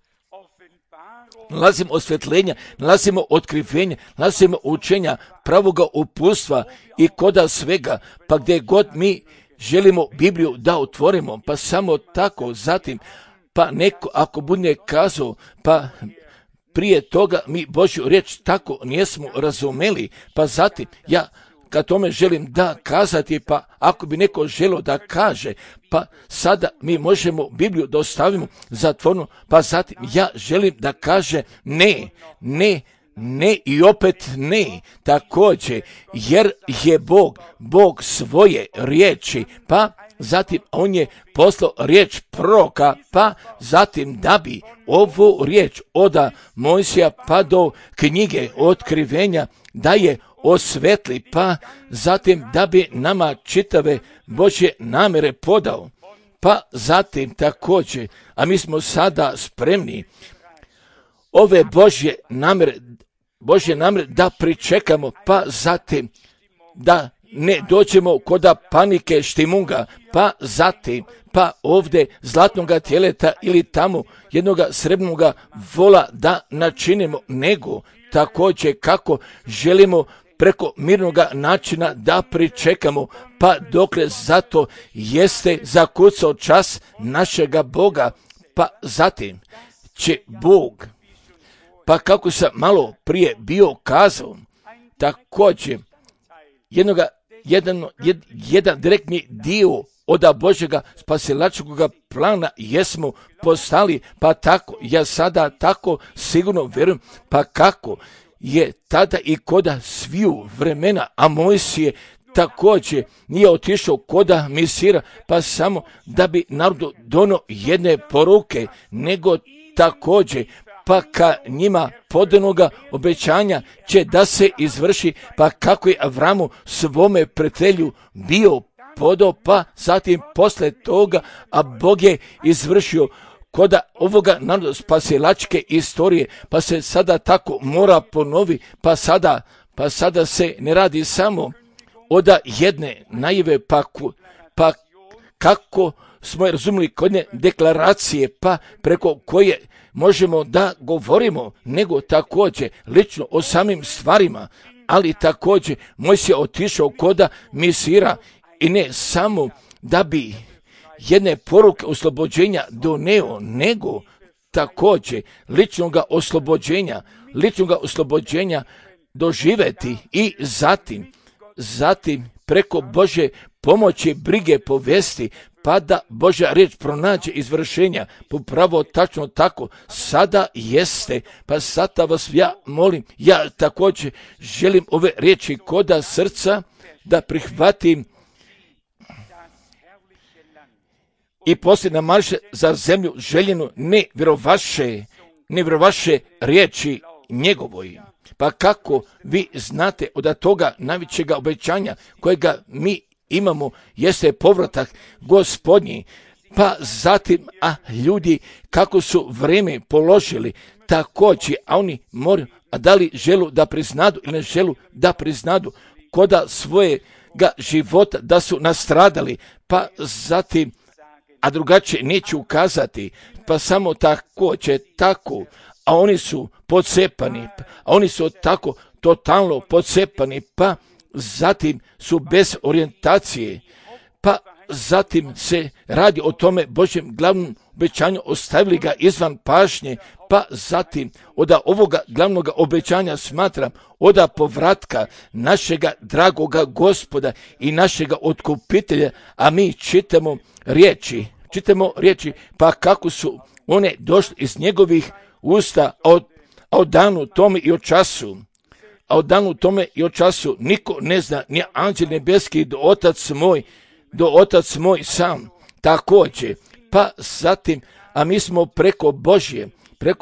Nalazimo osvjetljenja, nalazimo otkrivenja, nalazimo učenja, pravoga uputstva i koda svega, pa gdje god mi želimo Bibliju da otvorimo, pa samo tako zatim, pa neko ako bude kazao, pa prije toga mi Božju riječ tako nismo razumeli, pa zatim ja kad tome želim da kazati, pa ako bi neko želio da kaže, pa sada mi možemo Bibliju da ostavimo zatvorenu, pa zatim ja želim da kaže ne i opet ne, također, jer je Bog svoje riječi, pa zatim on je poslao riječ proroka, pa zatim da bi ovu riječ od Mojsija pa do knjige otkrivenja da je osvetli, pa zatim da bi nama čitave Božje namjere podao, pa zatim također, a mi smo sada spremni ove Božje namjere da pričekamo, pa zatim da ne dođemo koda panike štimunga, pa zatim, pa ovdje zlatnoga tjeleta ili tamo jednoga srebrnoga vola da načinimo, nego također kako želimo preko mirnoga načina da pričekamo, pa dokle zato jeste zakucao čas našega Boga, pa zatim će Bog, pa kako sam malo prije bio kazao, također jedan direktni dio od Božjega spasilačkog plana jesmo postali, pa tako, ja sada tako sigurno vjerujem, pa kako je tada i koda sviju vremena, a Mojsije također nije otišao koda misira, pa samo da bi narodu dono jedne poruke, nego također pa ka njima podanoga obećanja će da se izvrši, pa kako je Avramu svome prijatelju bio podao, pa zatim posle toga, a Bog je izvršio koda ovoga naroda spasilačke istorije, pa se sada tako mora ponovi, pa sada se ne radi samo od jedne najave, pa kako smo razumili kodne deklaracije, pa preko koje možemo da govorimo, nego također lično o samim stvarima, ali također Mojsije otišao koda misira i ne samo da bi jedne poruke oslobođenja doneo, nego također ličnoga oslobođenja doživeti i zatim preko Božje pomoći brige povesti, pa da Božja riječ pronađe izvršenja, upravo tačno tako sada jeste, pa sada vas ja molim, ja također želim ove riječi koda srca da prihvatim i poslije namarše za zemlju željenu, ne vjerovaše riječi njegovoj. Pa kako vi znate od toga najvećega obećanja kojega mi imamo jeste povratak Gospodnji. Pa zatim, ljudi kako su vrijeme položili također, a oni moraju, a da li želu da priznadu ili ne želu da priznadu koda svojega života da su nastradali, pa zatim, a drugačije neću ukazati, pa samo tako, a oni su pocepani, a oni su tako totalno pocepani, pa zatim su bez orijentacije, pa zatim se radi o tome Božjem glavnom obećanju, ostavili ga izvan pažnje, pa zatim od ovoga glavnog obećanja smatram od povratka našega dragoga Gospoda i našega otkupitelja, a mi čitamo riječi, pa kako su one došle iz njegovih usta, a od danu tome i o času, niko ne zna, ni anđel nebeski do otac moj sam, također, pa zatim, a mi smo preko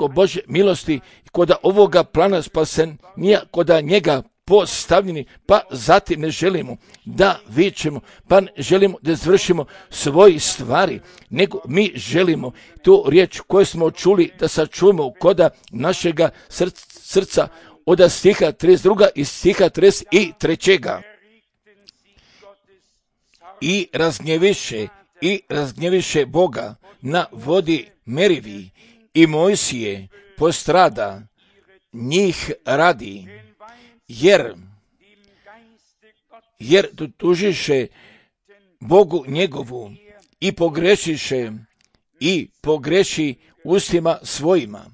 Božje milosti, kod ovoga plana spasenja, kod njega postavljeni, pa zatim ne želimo da vičemo, pa ne želimo da izvršimo svoje stvari, nego mi želimo tu riječ koju smo čuli da sačuvamo koda našega srca od stiha 32. i stiha 33. I razgnjeviše Boga na vodi Merivi i Mojsije postrada njih radi, jer tužiše Bogu njegovu i pogreši ustima svojima.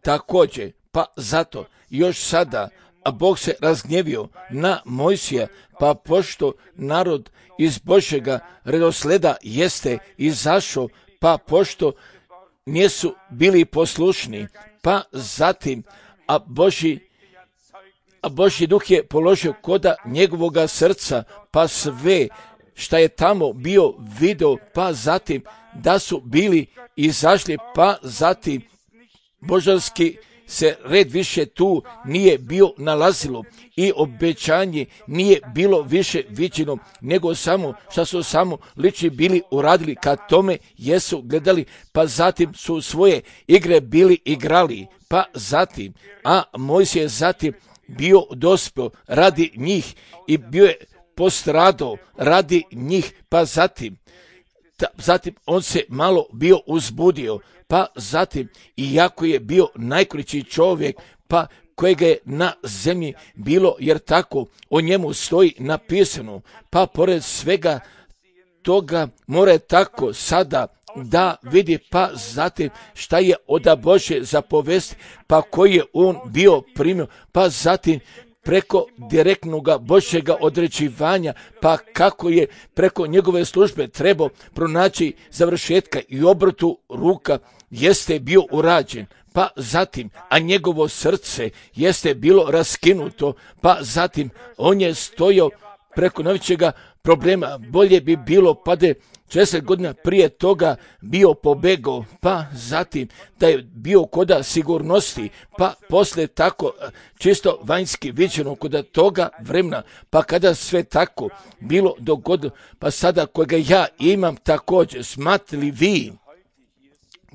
Također, pa zato još sada, a Bog se razgnjevio na Mojsija, pa pošto narod iz Božjega redosleda jeste izašao, pa pošto nisu bili poslušni, pa zatim, a Božji duh je položio koda njegovoga srca, pa sve šta je tamo bio video, pa zatim da su bili izašli, pa zatim božanski se red više tu nije bio nalazilo i obećanje nije bilo više viđeno, nego samo što su samo lični bili uradili kad tome jesu gledali, pa zatim su svoje igre bili igrali, pa zatim, a Mojsije zatim bio dospio radi njih i bio je postradao radi njih, pa zatim on se malo bio uzbudio, pa zatim, iako je bio najkrići čovjek, pa kojega je na zemlji bilo, jer tako o njemu stoji napisano, pa pored svega toga mora tako sada da vidi, pa zatim šta je od Božje zapovesti, pa koji je on bio primio, pa zatim preko direktnog Božjega određivanja, pa kako je preko njegove službe trebao pronaći završetka i obrtu ruka jeste bio urađen, pa zatim, a njegovo srce jeste bilo raskinuto, pa zatim on je stojao preko najvećega problema, bolje bi bilo pa da 60 godina prije toga bio pobegao, pa zatim da je bio koda sigurnosti, pa poslije tako čisto vanjski viđeno koda toga vremena, pa kada sve tako bilo dogodilo, pa sada kojega ja imam također, smatrali vi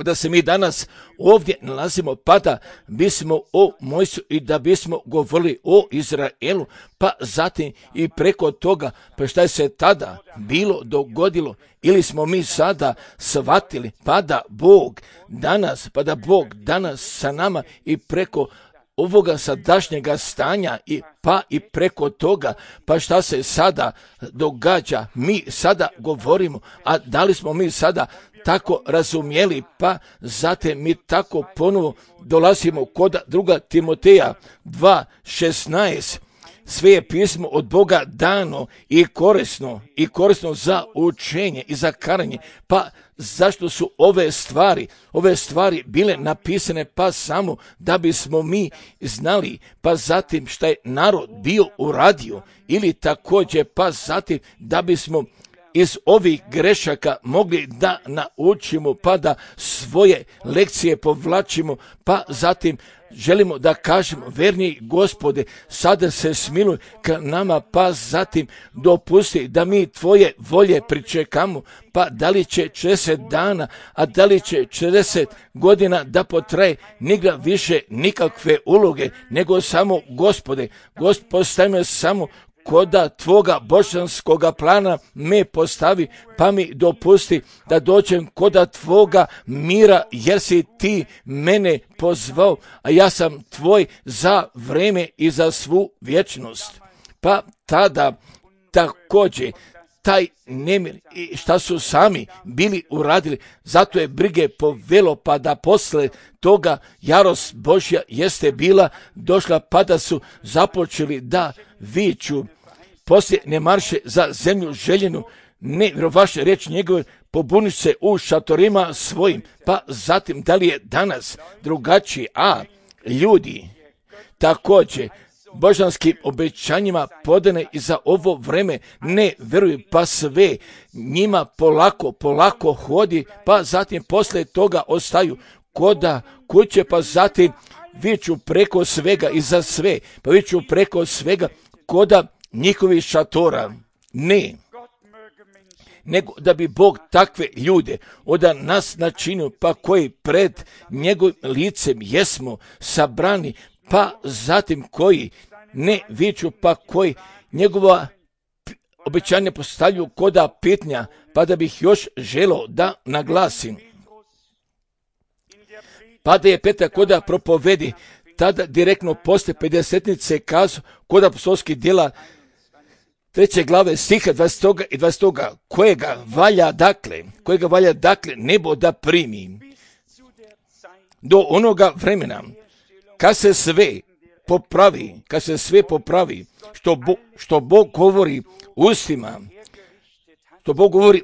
da se mi danas ovdje nalazimo, pa da bismo o Mojsiju i da bismo govorili o Izraelu, pa zatim i preko toga, pa šta je se tada bilo dogodilo, ili smo mi sada shvatili, pa da Bog danas sa nama i preko ovoga sadašnjega stanja i preko toga, pa šta se sada događa, mi sada govorimo, a da li smo mi sada tako razumjeli, pa zatim mi tako ponovo dolazimo kod 2. Timoteja 2:16. Sve je pismo od Boga dano i korisno za učenje i za karanje. Pa zašto su ove stvari bile napisane, pa samo da bismo mi znali, pa zatim šta je narod bio uradio, ili također pa zatim da bismo iz ovih grešaka mogli da naučimo, pa da svoje lekcije povlačimo, pa zatim želimo da kažemo, verni Gospode, sada se smiluj ka nama, pa zatim dopusti da mi tvoje volje pričekamo, pa da li će 40 dana, a da li će 40 godina da potraje, nigra više nikakve uloge, nego samo Gospode, postavi samo koda tvoga božanskoga plana me postavi, pa mi dopusti da dođem koda tvoga mira, jer si ti mene pozvao, a ja sam tvoj za vreme i za svu vječnost. Pa tada također taj nemir i šta su sami bili uradili, zato je brige povelo, pa da posle toga jarost Božja jeste bila došla, pa da su započeli da viču. Poslije ne marše za zemlju željenu, ne vjerovaše riječ njegove, pobuniš se u šatorima svojim. Pa zatim, da li je danas drugačiji? A ljudi također božanskim obećanjima podane i za ovo vreme ne vjeruju, pa sve njima polako hodi, pa zatim poslije toga ostaju koda kuće, pa zatim viču preko svega i za sve, pa viču preko svega koda njihovih šatora. Ne, nego da bi Bog takve ljude od nas načinio, pa koji pred njegovim licem jesmo sabrani, pa zatim koji ne viču, pa koji njegova obećanja postavljaju koda pitnja, pa da bih još želio da naglasim. Pa da je Petar koda propovedi, tada direktno poslije 50-nice kazao kod apostolskih djela 3. glave stiha 20. i 20. kojega valja dakle nebo da primi do onoga vremena kad se sve popravi što Bog govori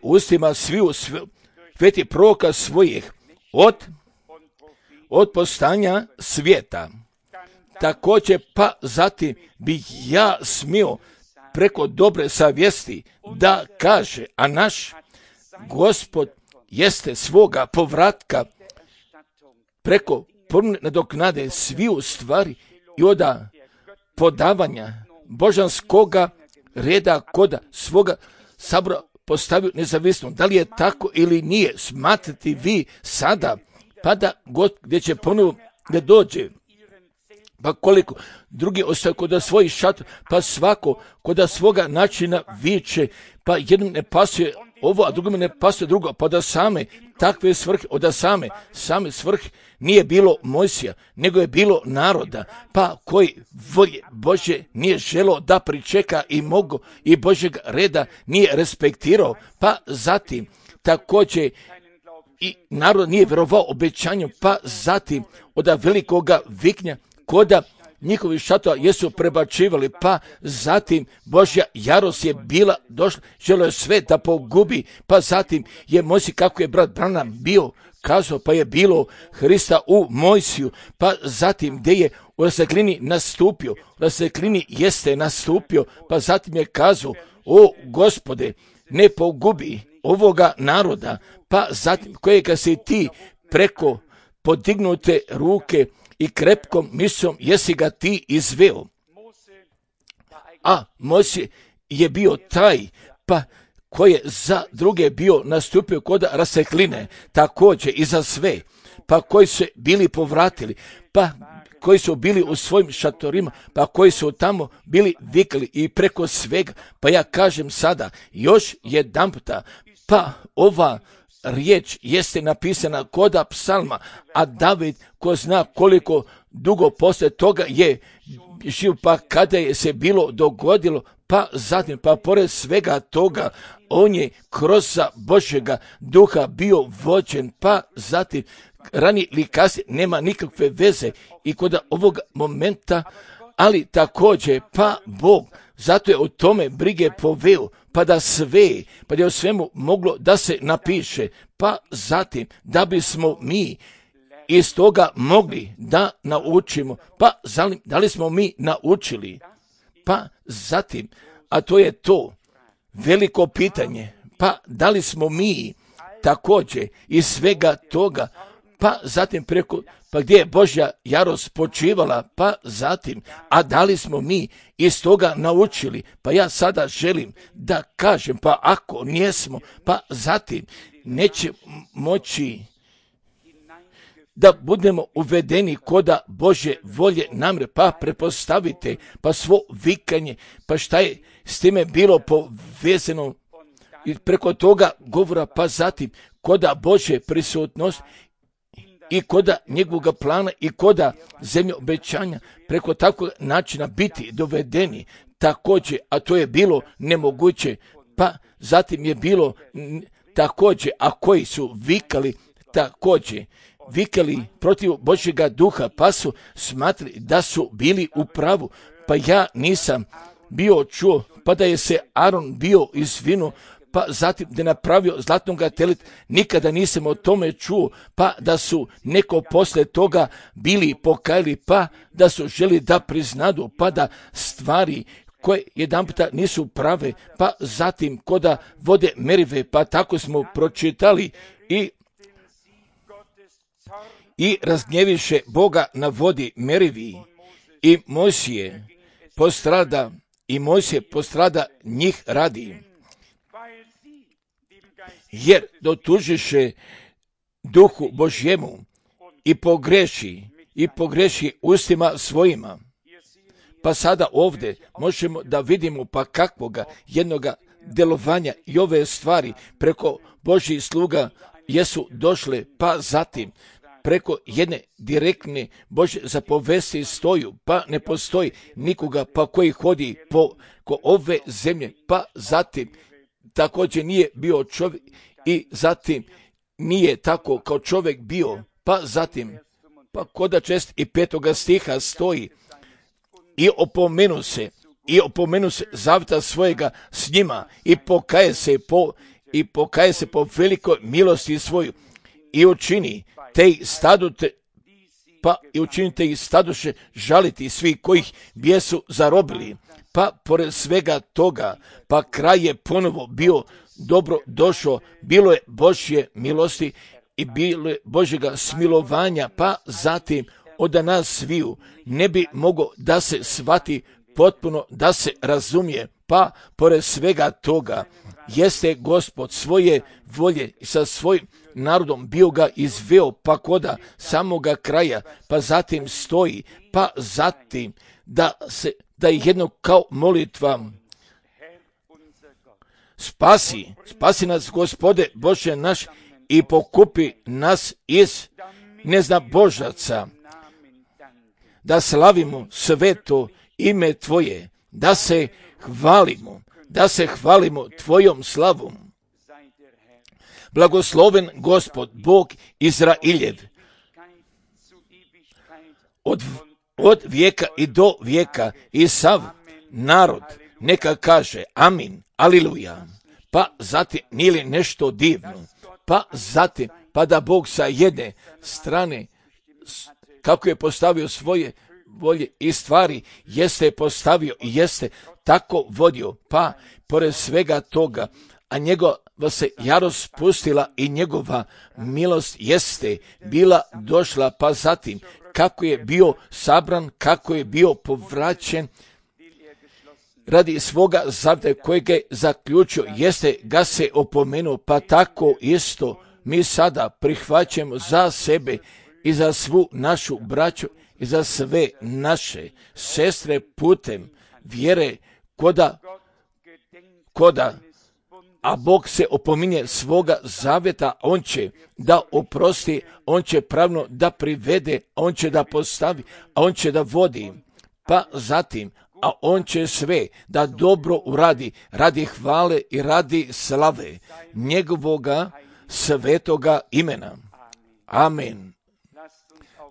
ustima sviju sveti proroka svojih od postanja svijeta. Također pa zatim bih ja smio preko dobre savjesti da kaže, a naš Gospod jeste svoga povratka preko ponovne nadoknade sviju stvari i od podavanja božanskoga reda koda svoga sabora postavio nezavisno. Da li je tako ili nije, smatrati vi sada, pa da God gdje će ponovo da dođe. Pa koliko drugi ostaju kod svojih šatora, pa svako kod svoga načina viče, pa jednom ne pasuje ovo, a drugom ne pasuje drugo, pa da same takve svrhe, od same svrhe nije bilo Mojsija, nego je bilo naroda, pa koji volje Bože nije želio da pričeka i mogu i Božjeg reda nije respektirao, pa zatim također i narod nije vjerovao obećanju, pa zatim od velikoga viknja koda njihovi šatora jesu prebačivali, pa zatim Božja jarost je bila došla, želio je sve da pogubi, pa zatim je Mojsij, kako je brat Branham bio kazao, pa je bilo Hrista u Mojsiju, pa zatim gdje je u raseklini nastupio, pa zatim je kazao, o Gospode, ne pogubi ovoga naroda, pa zatim kojega si ti preko podignute ruke i krepkom mislom jesi ga ti izveo. A Mojsij je bio taj, pa koji je za druge bio nastupio kod rasekline, također i za sve, pa koji su bili povratili, pa koji su bili u svojim šatorima, pa koji su tamo bili vikali i preko svega. Pa ja kažem sada još jedanputa, pa ova riječ jeste napisana koda psalma, a David, ko zna koliko dugo poslije toga je živ, pa kada je se bilo dogodilo, pa zatim, pa pored svega toga, on je kroz Božjega duha bio vođen, pa zatim ranije ili kasnije nema nikakve veze i kod ovog momenta, ali također pa Bog, zato je o tome brige poveo, pa da je o svemu moglo da se napiše, pa zatim da bismo mi iz toga mogli da naučimo, pa da li smo mi naučili, pa zatim, a to je to veliko pitanje, pa da li smo mi također iz svega toga, pa zatim preko pa gdje je Božja jarost počivala, pa zatim, a da li smo mi iz toga naučili, pa ja sada želim da kažem, pa ako nijesmo, pa zatim neće moći da budemo uvedeni koda Božje volje namre, pa prepostavite, pa svo vikanje, pa šta je s time bilo povezano i preko toga govora, pa zatim koda Božje prisutnost i koda njegovog plana i koda zemlje obećanja, preko takvog načina biti dovedeni također, a to je bilo nemoguće, pa zatim je bilo također, a koji su vikali također, vikali protiv Božjega duha, pa su smatrali da su bili u pravu, pa ja nisam bio čuo, pa da je se Aron bio izvinuo, pa zatim da je napravio zlatnoga teleta, nikada nisam o tome čuo, pa da su neko poslije toga bili pokajali, pa da su želi da priznadu, pa da stvari koje jedanputa nisu prave, pa zatim koda vode merive, pa tako smo pročitali i razgnjeviše Boga na vodi merivi i Mojsije postrada njih radi, jer dotužiše duhu Božjemu i pogreši ustima svojima. Pa sada ovdje možemo da vidimo pa kakvoga jednoga djelovanja i ove stvari preko Božjih sluga jesu došle, pa zatim preko jedne direktne Božje zapovesti stoju, pa ne postoji nikoga pa koji hodi ko ove zemlje, pa zatim također nije bio čovjek i zatim nije tako kao čovjek bio, pa zatim pa koda 5. stiha stoji i opomenu se zaveta svojega s njima i pokaje se po velikoj milosti svoju i učinite ih staduše žaliti svi kojih bijesu zarobili. Pa pored svega toga, pa kraj je ponovo bio dobro došao, bilo je Božje milosti i bilo je Božjega smilovanja, pa zatim od nas sviju ne bi moglo da se shvati potpuno, da se razumije, pa pored svega toga jeste Gospod svoje volje i sa svojim narodom bio ga izveo, pa koda samoga kraja, pa zatim stoji, pa zatim da je jedno kao molitva spasi nas Gospode Bože naš i pokupi nas iz neznabožaca, da slavimo sveto ime Tvoje, da se hvalimo Tvojom slavom. Blagosloven Gospod, Bog Izrailjev, od vijeka i do vijeka, i sav narod neka kaže amin, aliluja. Pa zatim nije li nešto divno, pa zatim pa da Bog sa jedne strane kako je postavio svoje volje i stvari, jeste postavio i jeste tako vodio, pa pored svega toga, a njegova se jarost spustila i njegova milost jeste bila došla, pa zatim kako je bio sabran, kako je bio povraćen radi svoga zaveta kojeg je zaključio, jeste ga se opomenuo, pa tako isto mi sada prihvaćamo za sebe i za svu našu braću i za sve naše sestre putem vjere koda, a Bog se opominje svoga zavjeta, on će da oprosti, on će pravno da privede, on će da postavi, a on će da vodi, pa zatim, a on će sve da dobro uradi, radi hvale i radi slave njegovoga svetoga imena. Amen.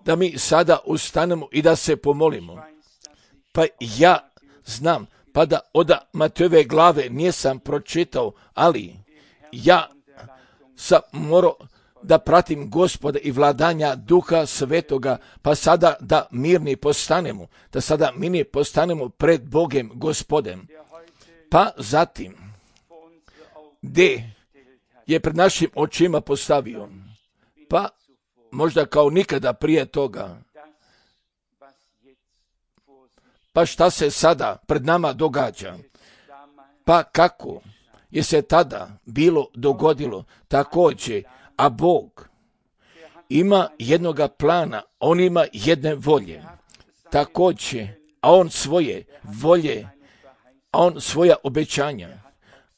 Da mi sada ustanemo i da se pomolimo. Pa ja znam, pa da od Matejove glave nisam pročitao, ali ja sam morao da pratim Gospoda i vladanja Duha Svetoga, pa sada da mirni postanemo pred Bogem Gospodem. Pa zatim, gdje je pred našim očima postavio, pa možda kao nikada prije toga. Pa šta se sada pred nama događa? Pa kako je se tada bilo dogodilo također, a Bog ima jednoga plana, on ima jedne volje, također, a on svoje volje, a on svoja obećanja,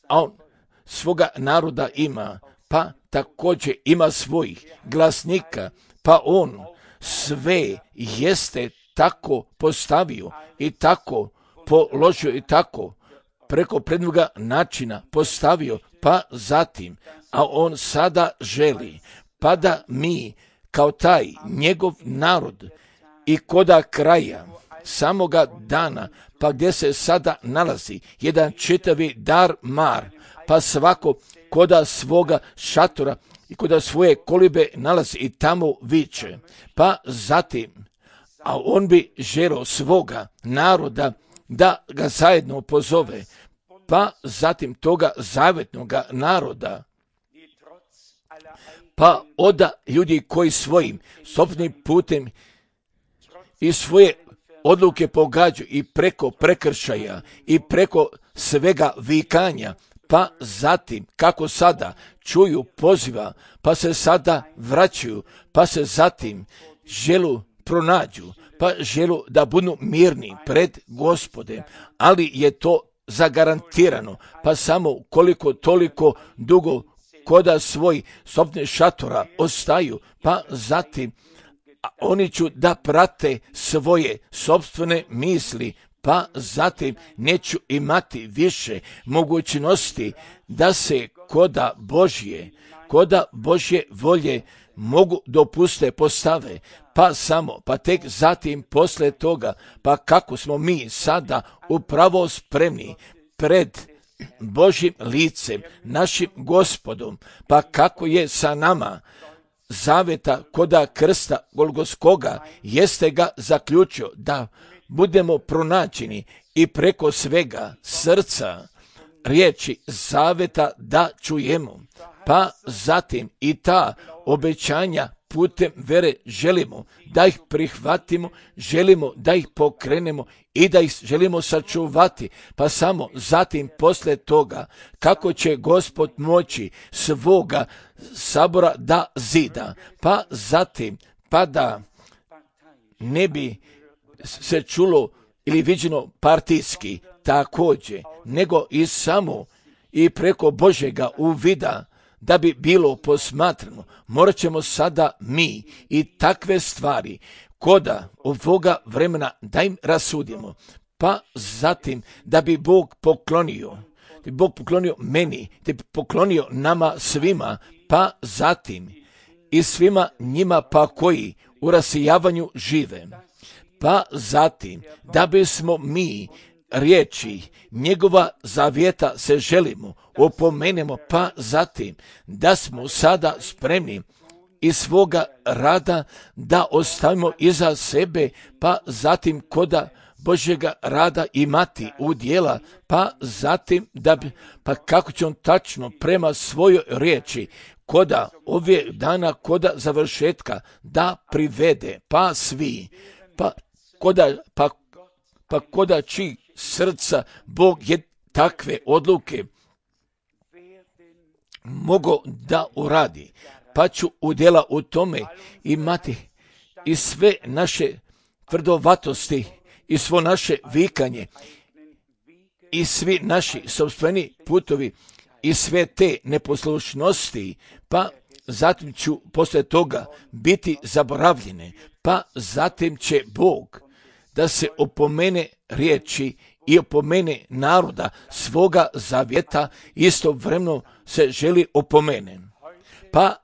a on svoga naroda ima, pa također ima svojih glasnika, pa on sve jeste tako postavio i tako položio i tako preko prednoga načina postavio, pa zatim, a on sada želi, pa da mi kao taj njegov narod i koda kraja samoga dana, pa gdje se sada nalazi jedan čitavi dar mar, pa svako koda svoga šatora i koda svoje kolibe nalazi i tamo viče, pa zatim, a on bi želio svoga naroda da ga zajedno pozove, pa zatim toga zavetnoga naroda, pa oda ljudi koji svojim sopstvenim putem i svoje odluke pogađaju i preko prekršaja i preko svega vikanja, pa zatim kako sada čuju poziva, pa se sada vraćaju, pa se zatim želu pronađu, pa želu da budu mirni pred Gospodem, ali je to zagarantirano, pa samo koliko toliko dugo koda svoj sopstveni šatora ostaju, pa zatim oni ću da prate svoje sopstvene misli, pa zatim neću imati više mogućnosti da se koda Božje volje mogu dopuste postave, pa tek zatim posle toga, pa kako smo mi sada upravo spremni pred Božjim licem, našim Gospodom, pa kako je sa nama zaveta koda krsta Golgotskoga, jeste ga zaključio da budemo pronađeni i preko svega srca riječi zaveta da čujemo, pa zatim i ta obećanja putem vere želimo da ih prihvatimo, želimo da ih pokrenemo i da ih želimo sačuvati, pa samo zatim posle toga kako će Gospod moći svoga sabora da zida, pa zatim pa da ne bi se čulo ili viđeno partijski također, nego i samo i preko Božjega uvida da bi bilo posmatrano. Morat ćemo sada mi i takve stvari koda ovoga vremena da im rasudimo, pa zatim da bi Bog poklonio meni, da bi poklonio nama svima, pa zatim i svima njima pa koji u rasijavanju žive, pa zatim da bismo mi riječi njegova zavjeta se želimo, opomenemo, pa zatim da smo sada spremni iz svoga rada da ostavimo iza sebe, pa zatim koda Božjega rada imati udjela, pa zatim da bi, pa kako će on tačno prema svojoj riječi koda ove dana, koda završetka da privede, pa svi, pa koda čiji srca Bog je takve odluke mogo da uradi, pa ću udjela u tome imati i sve naše tvrdovatosti i svo naše vikanje i svi naši sopstveni putovi i sve te neposlušnosti, pa zatim ću posle toga biti zaboravljene, pa zatim će Bog da se opomene riječi i opomene naroda svoga zavjeta, istovremeno se želi opomene. Pa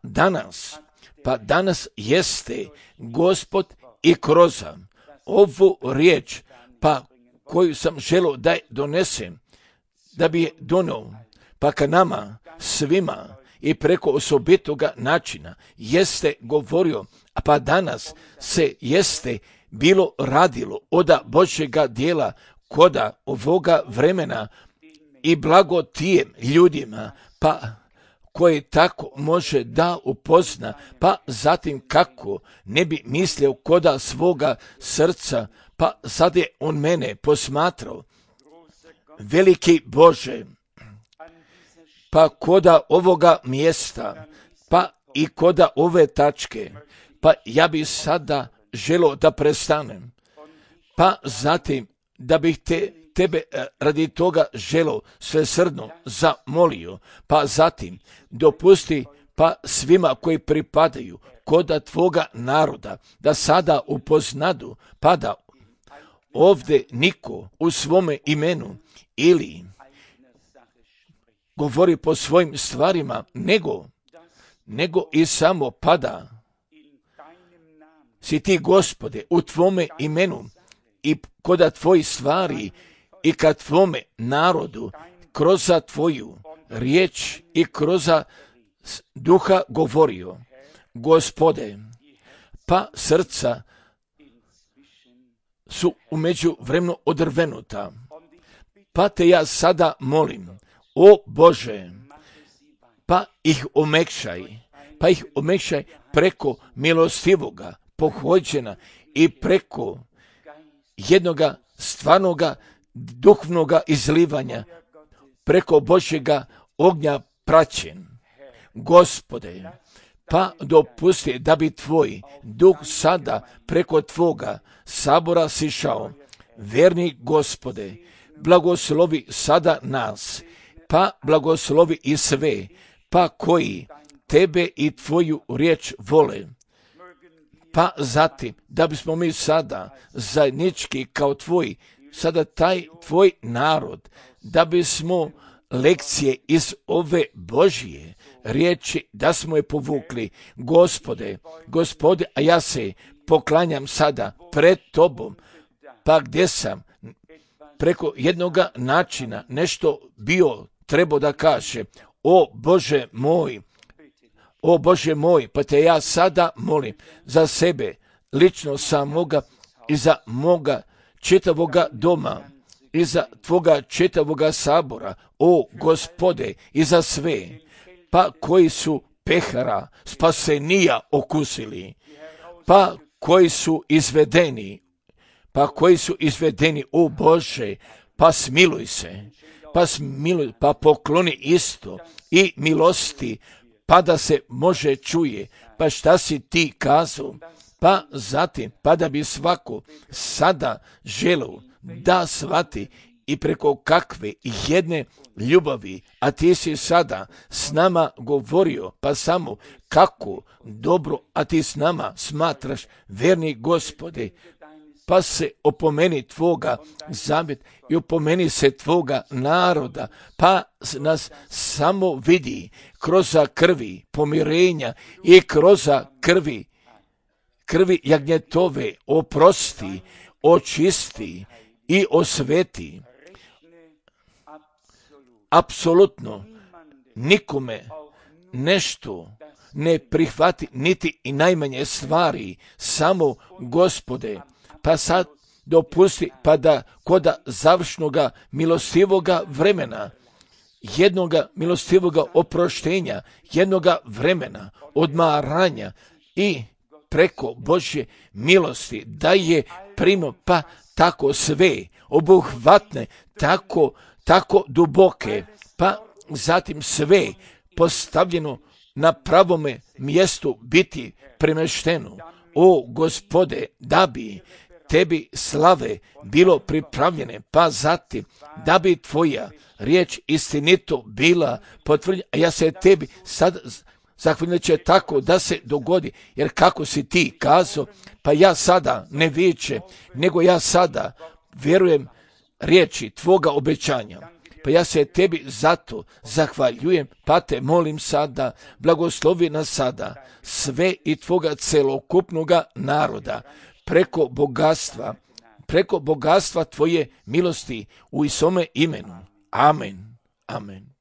danas jeste Gospod i kroz ovu riječ, pa koju sam želio da je donesem, da bi je donio, pa ka nama svima i preko osobitoga načina jeste govorio, a pa danas se jeste bilo radilo oda Božjega dijela koda ovoga vremena i blago tijem ljudima, pa koje tako može da upozna, pa zatim kako ne bi mislio koda svoga srca, pa sad je on mene posmatrao. Veliki Bože, pa koda ovoga mjesta, pa i koda ove tačke, pa ja bih sada želio da prestanem, pa zatim da bih tebe radi toga želio svesrdno zamolio, pa zatim dopusti pa svima koji pripadaju koda tvoga naroda da sada upoznadu, pa da ovdje niko u svome imenu ili govori po svojim stvarima, nego i samo pada. Si ti, Gospode, u tvome imenu i koda tvojih stvari i ka tvome narodu kroz tvoju riječ i kroz duha govorio. Gospode, pa srca su u međuvremenu odrvenuta, pa te ja sada molim, o Bože, pa ih omekšaj preko milostivoga pohođena i preko jednoga stvarnoga duhovnoga izlivanja, preko Božjega ognja praćen. Gospode, pa dopusti da bi tvoj duh sada preko tvoga sabora sišao. Verni Gospode, blagoslovi sada nas, pa blagoslovi i sve, pa koji tebe i tvoju riječ vole. Pa zatim, da bismo mi sada zajednički kao sada taj tvoj narod, da bismo lekcije iz ove Božje riječi, da smo je povukli. Gospode, a ja se poklanjam sada pred tobom, pa gdje sam preko jednoga načina nešto bio trebao da kaže, o Bože moj, pa te ja sada molim za sebe, lično samoga i za moga čitavoga doma, i za tvoga čitavoga sabora, o Gospode, i za sve, pa koji su pehara spasenija okusili, pa koji su izvedeni, o Bože, pa smiluj se, pa pokloni isto i milosti, pa da se može čuje, pa šta si ti kazao, pa zatim, pa da bi svako sada želeo da shvati i preko kakve jedne ljubavi, a ti si sada s nama govorio, pa samo kako dobro, a ti s nama smatraš, verni Gospode, pa se opomeni tvoga zavjet i opomeni se tvoga naroda, pa nas samo vidi kroz krvi pomirenja i kroz krvi jagnjetove oprosti, očisti i osveti. Apsolutno nikome nešto ne prihvati, niti i najmanje stvari, samo Gospode, pa sad dopusti, pa da koda završnoga milostivoga vremena, jednoga milostivoga oproštenja, jednoga vremena odmaranja i preko Božje milosti da je primo, pa tako sve obuhvatne, tako duboke, pa zatim sve postavljeno na pravome mjestu biti premešteno. O Gospode, da bi tebi slave bilo pripravljene, pa zatim da bi tvoja riječ istinito bila potvrđena, a ja se tebi sad zahvaljujem će tako da se dogodi, jer kako si ti kazao, pa ja sada ne viče, nego ja sada vjerujem riječi tvoga obećanja. Pa ja se tebi zato zahvaljujem, pa te molim sada, blagoslovi nas sada sve i tvoga celokupnoga naroda, preko bogatstva tvoje milosti u Isome imenu. Amen. Amen.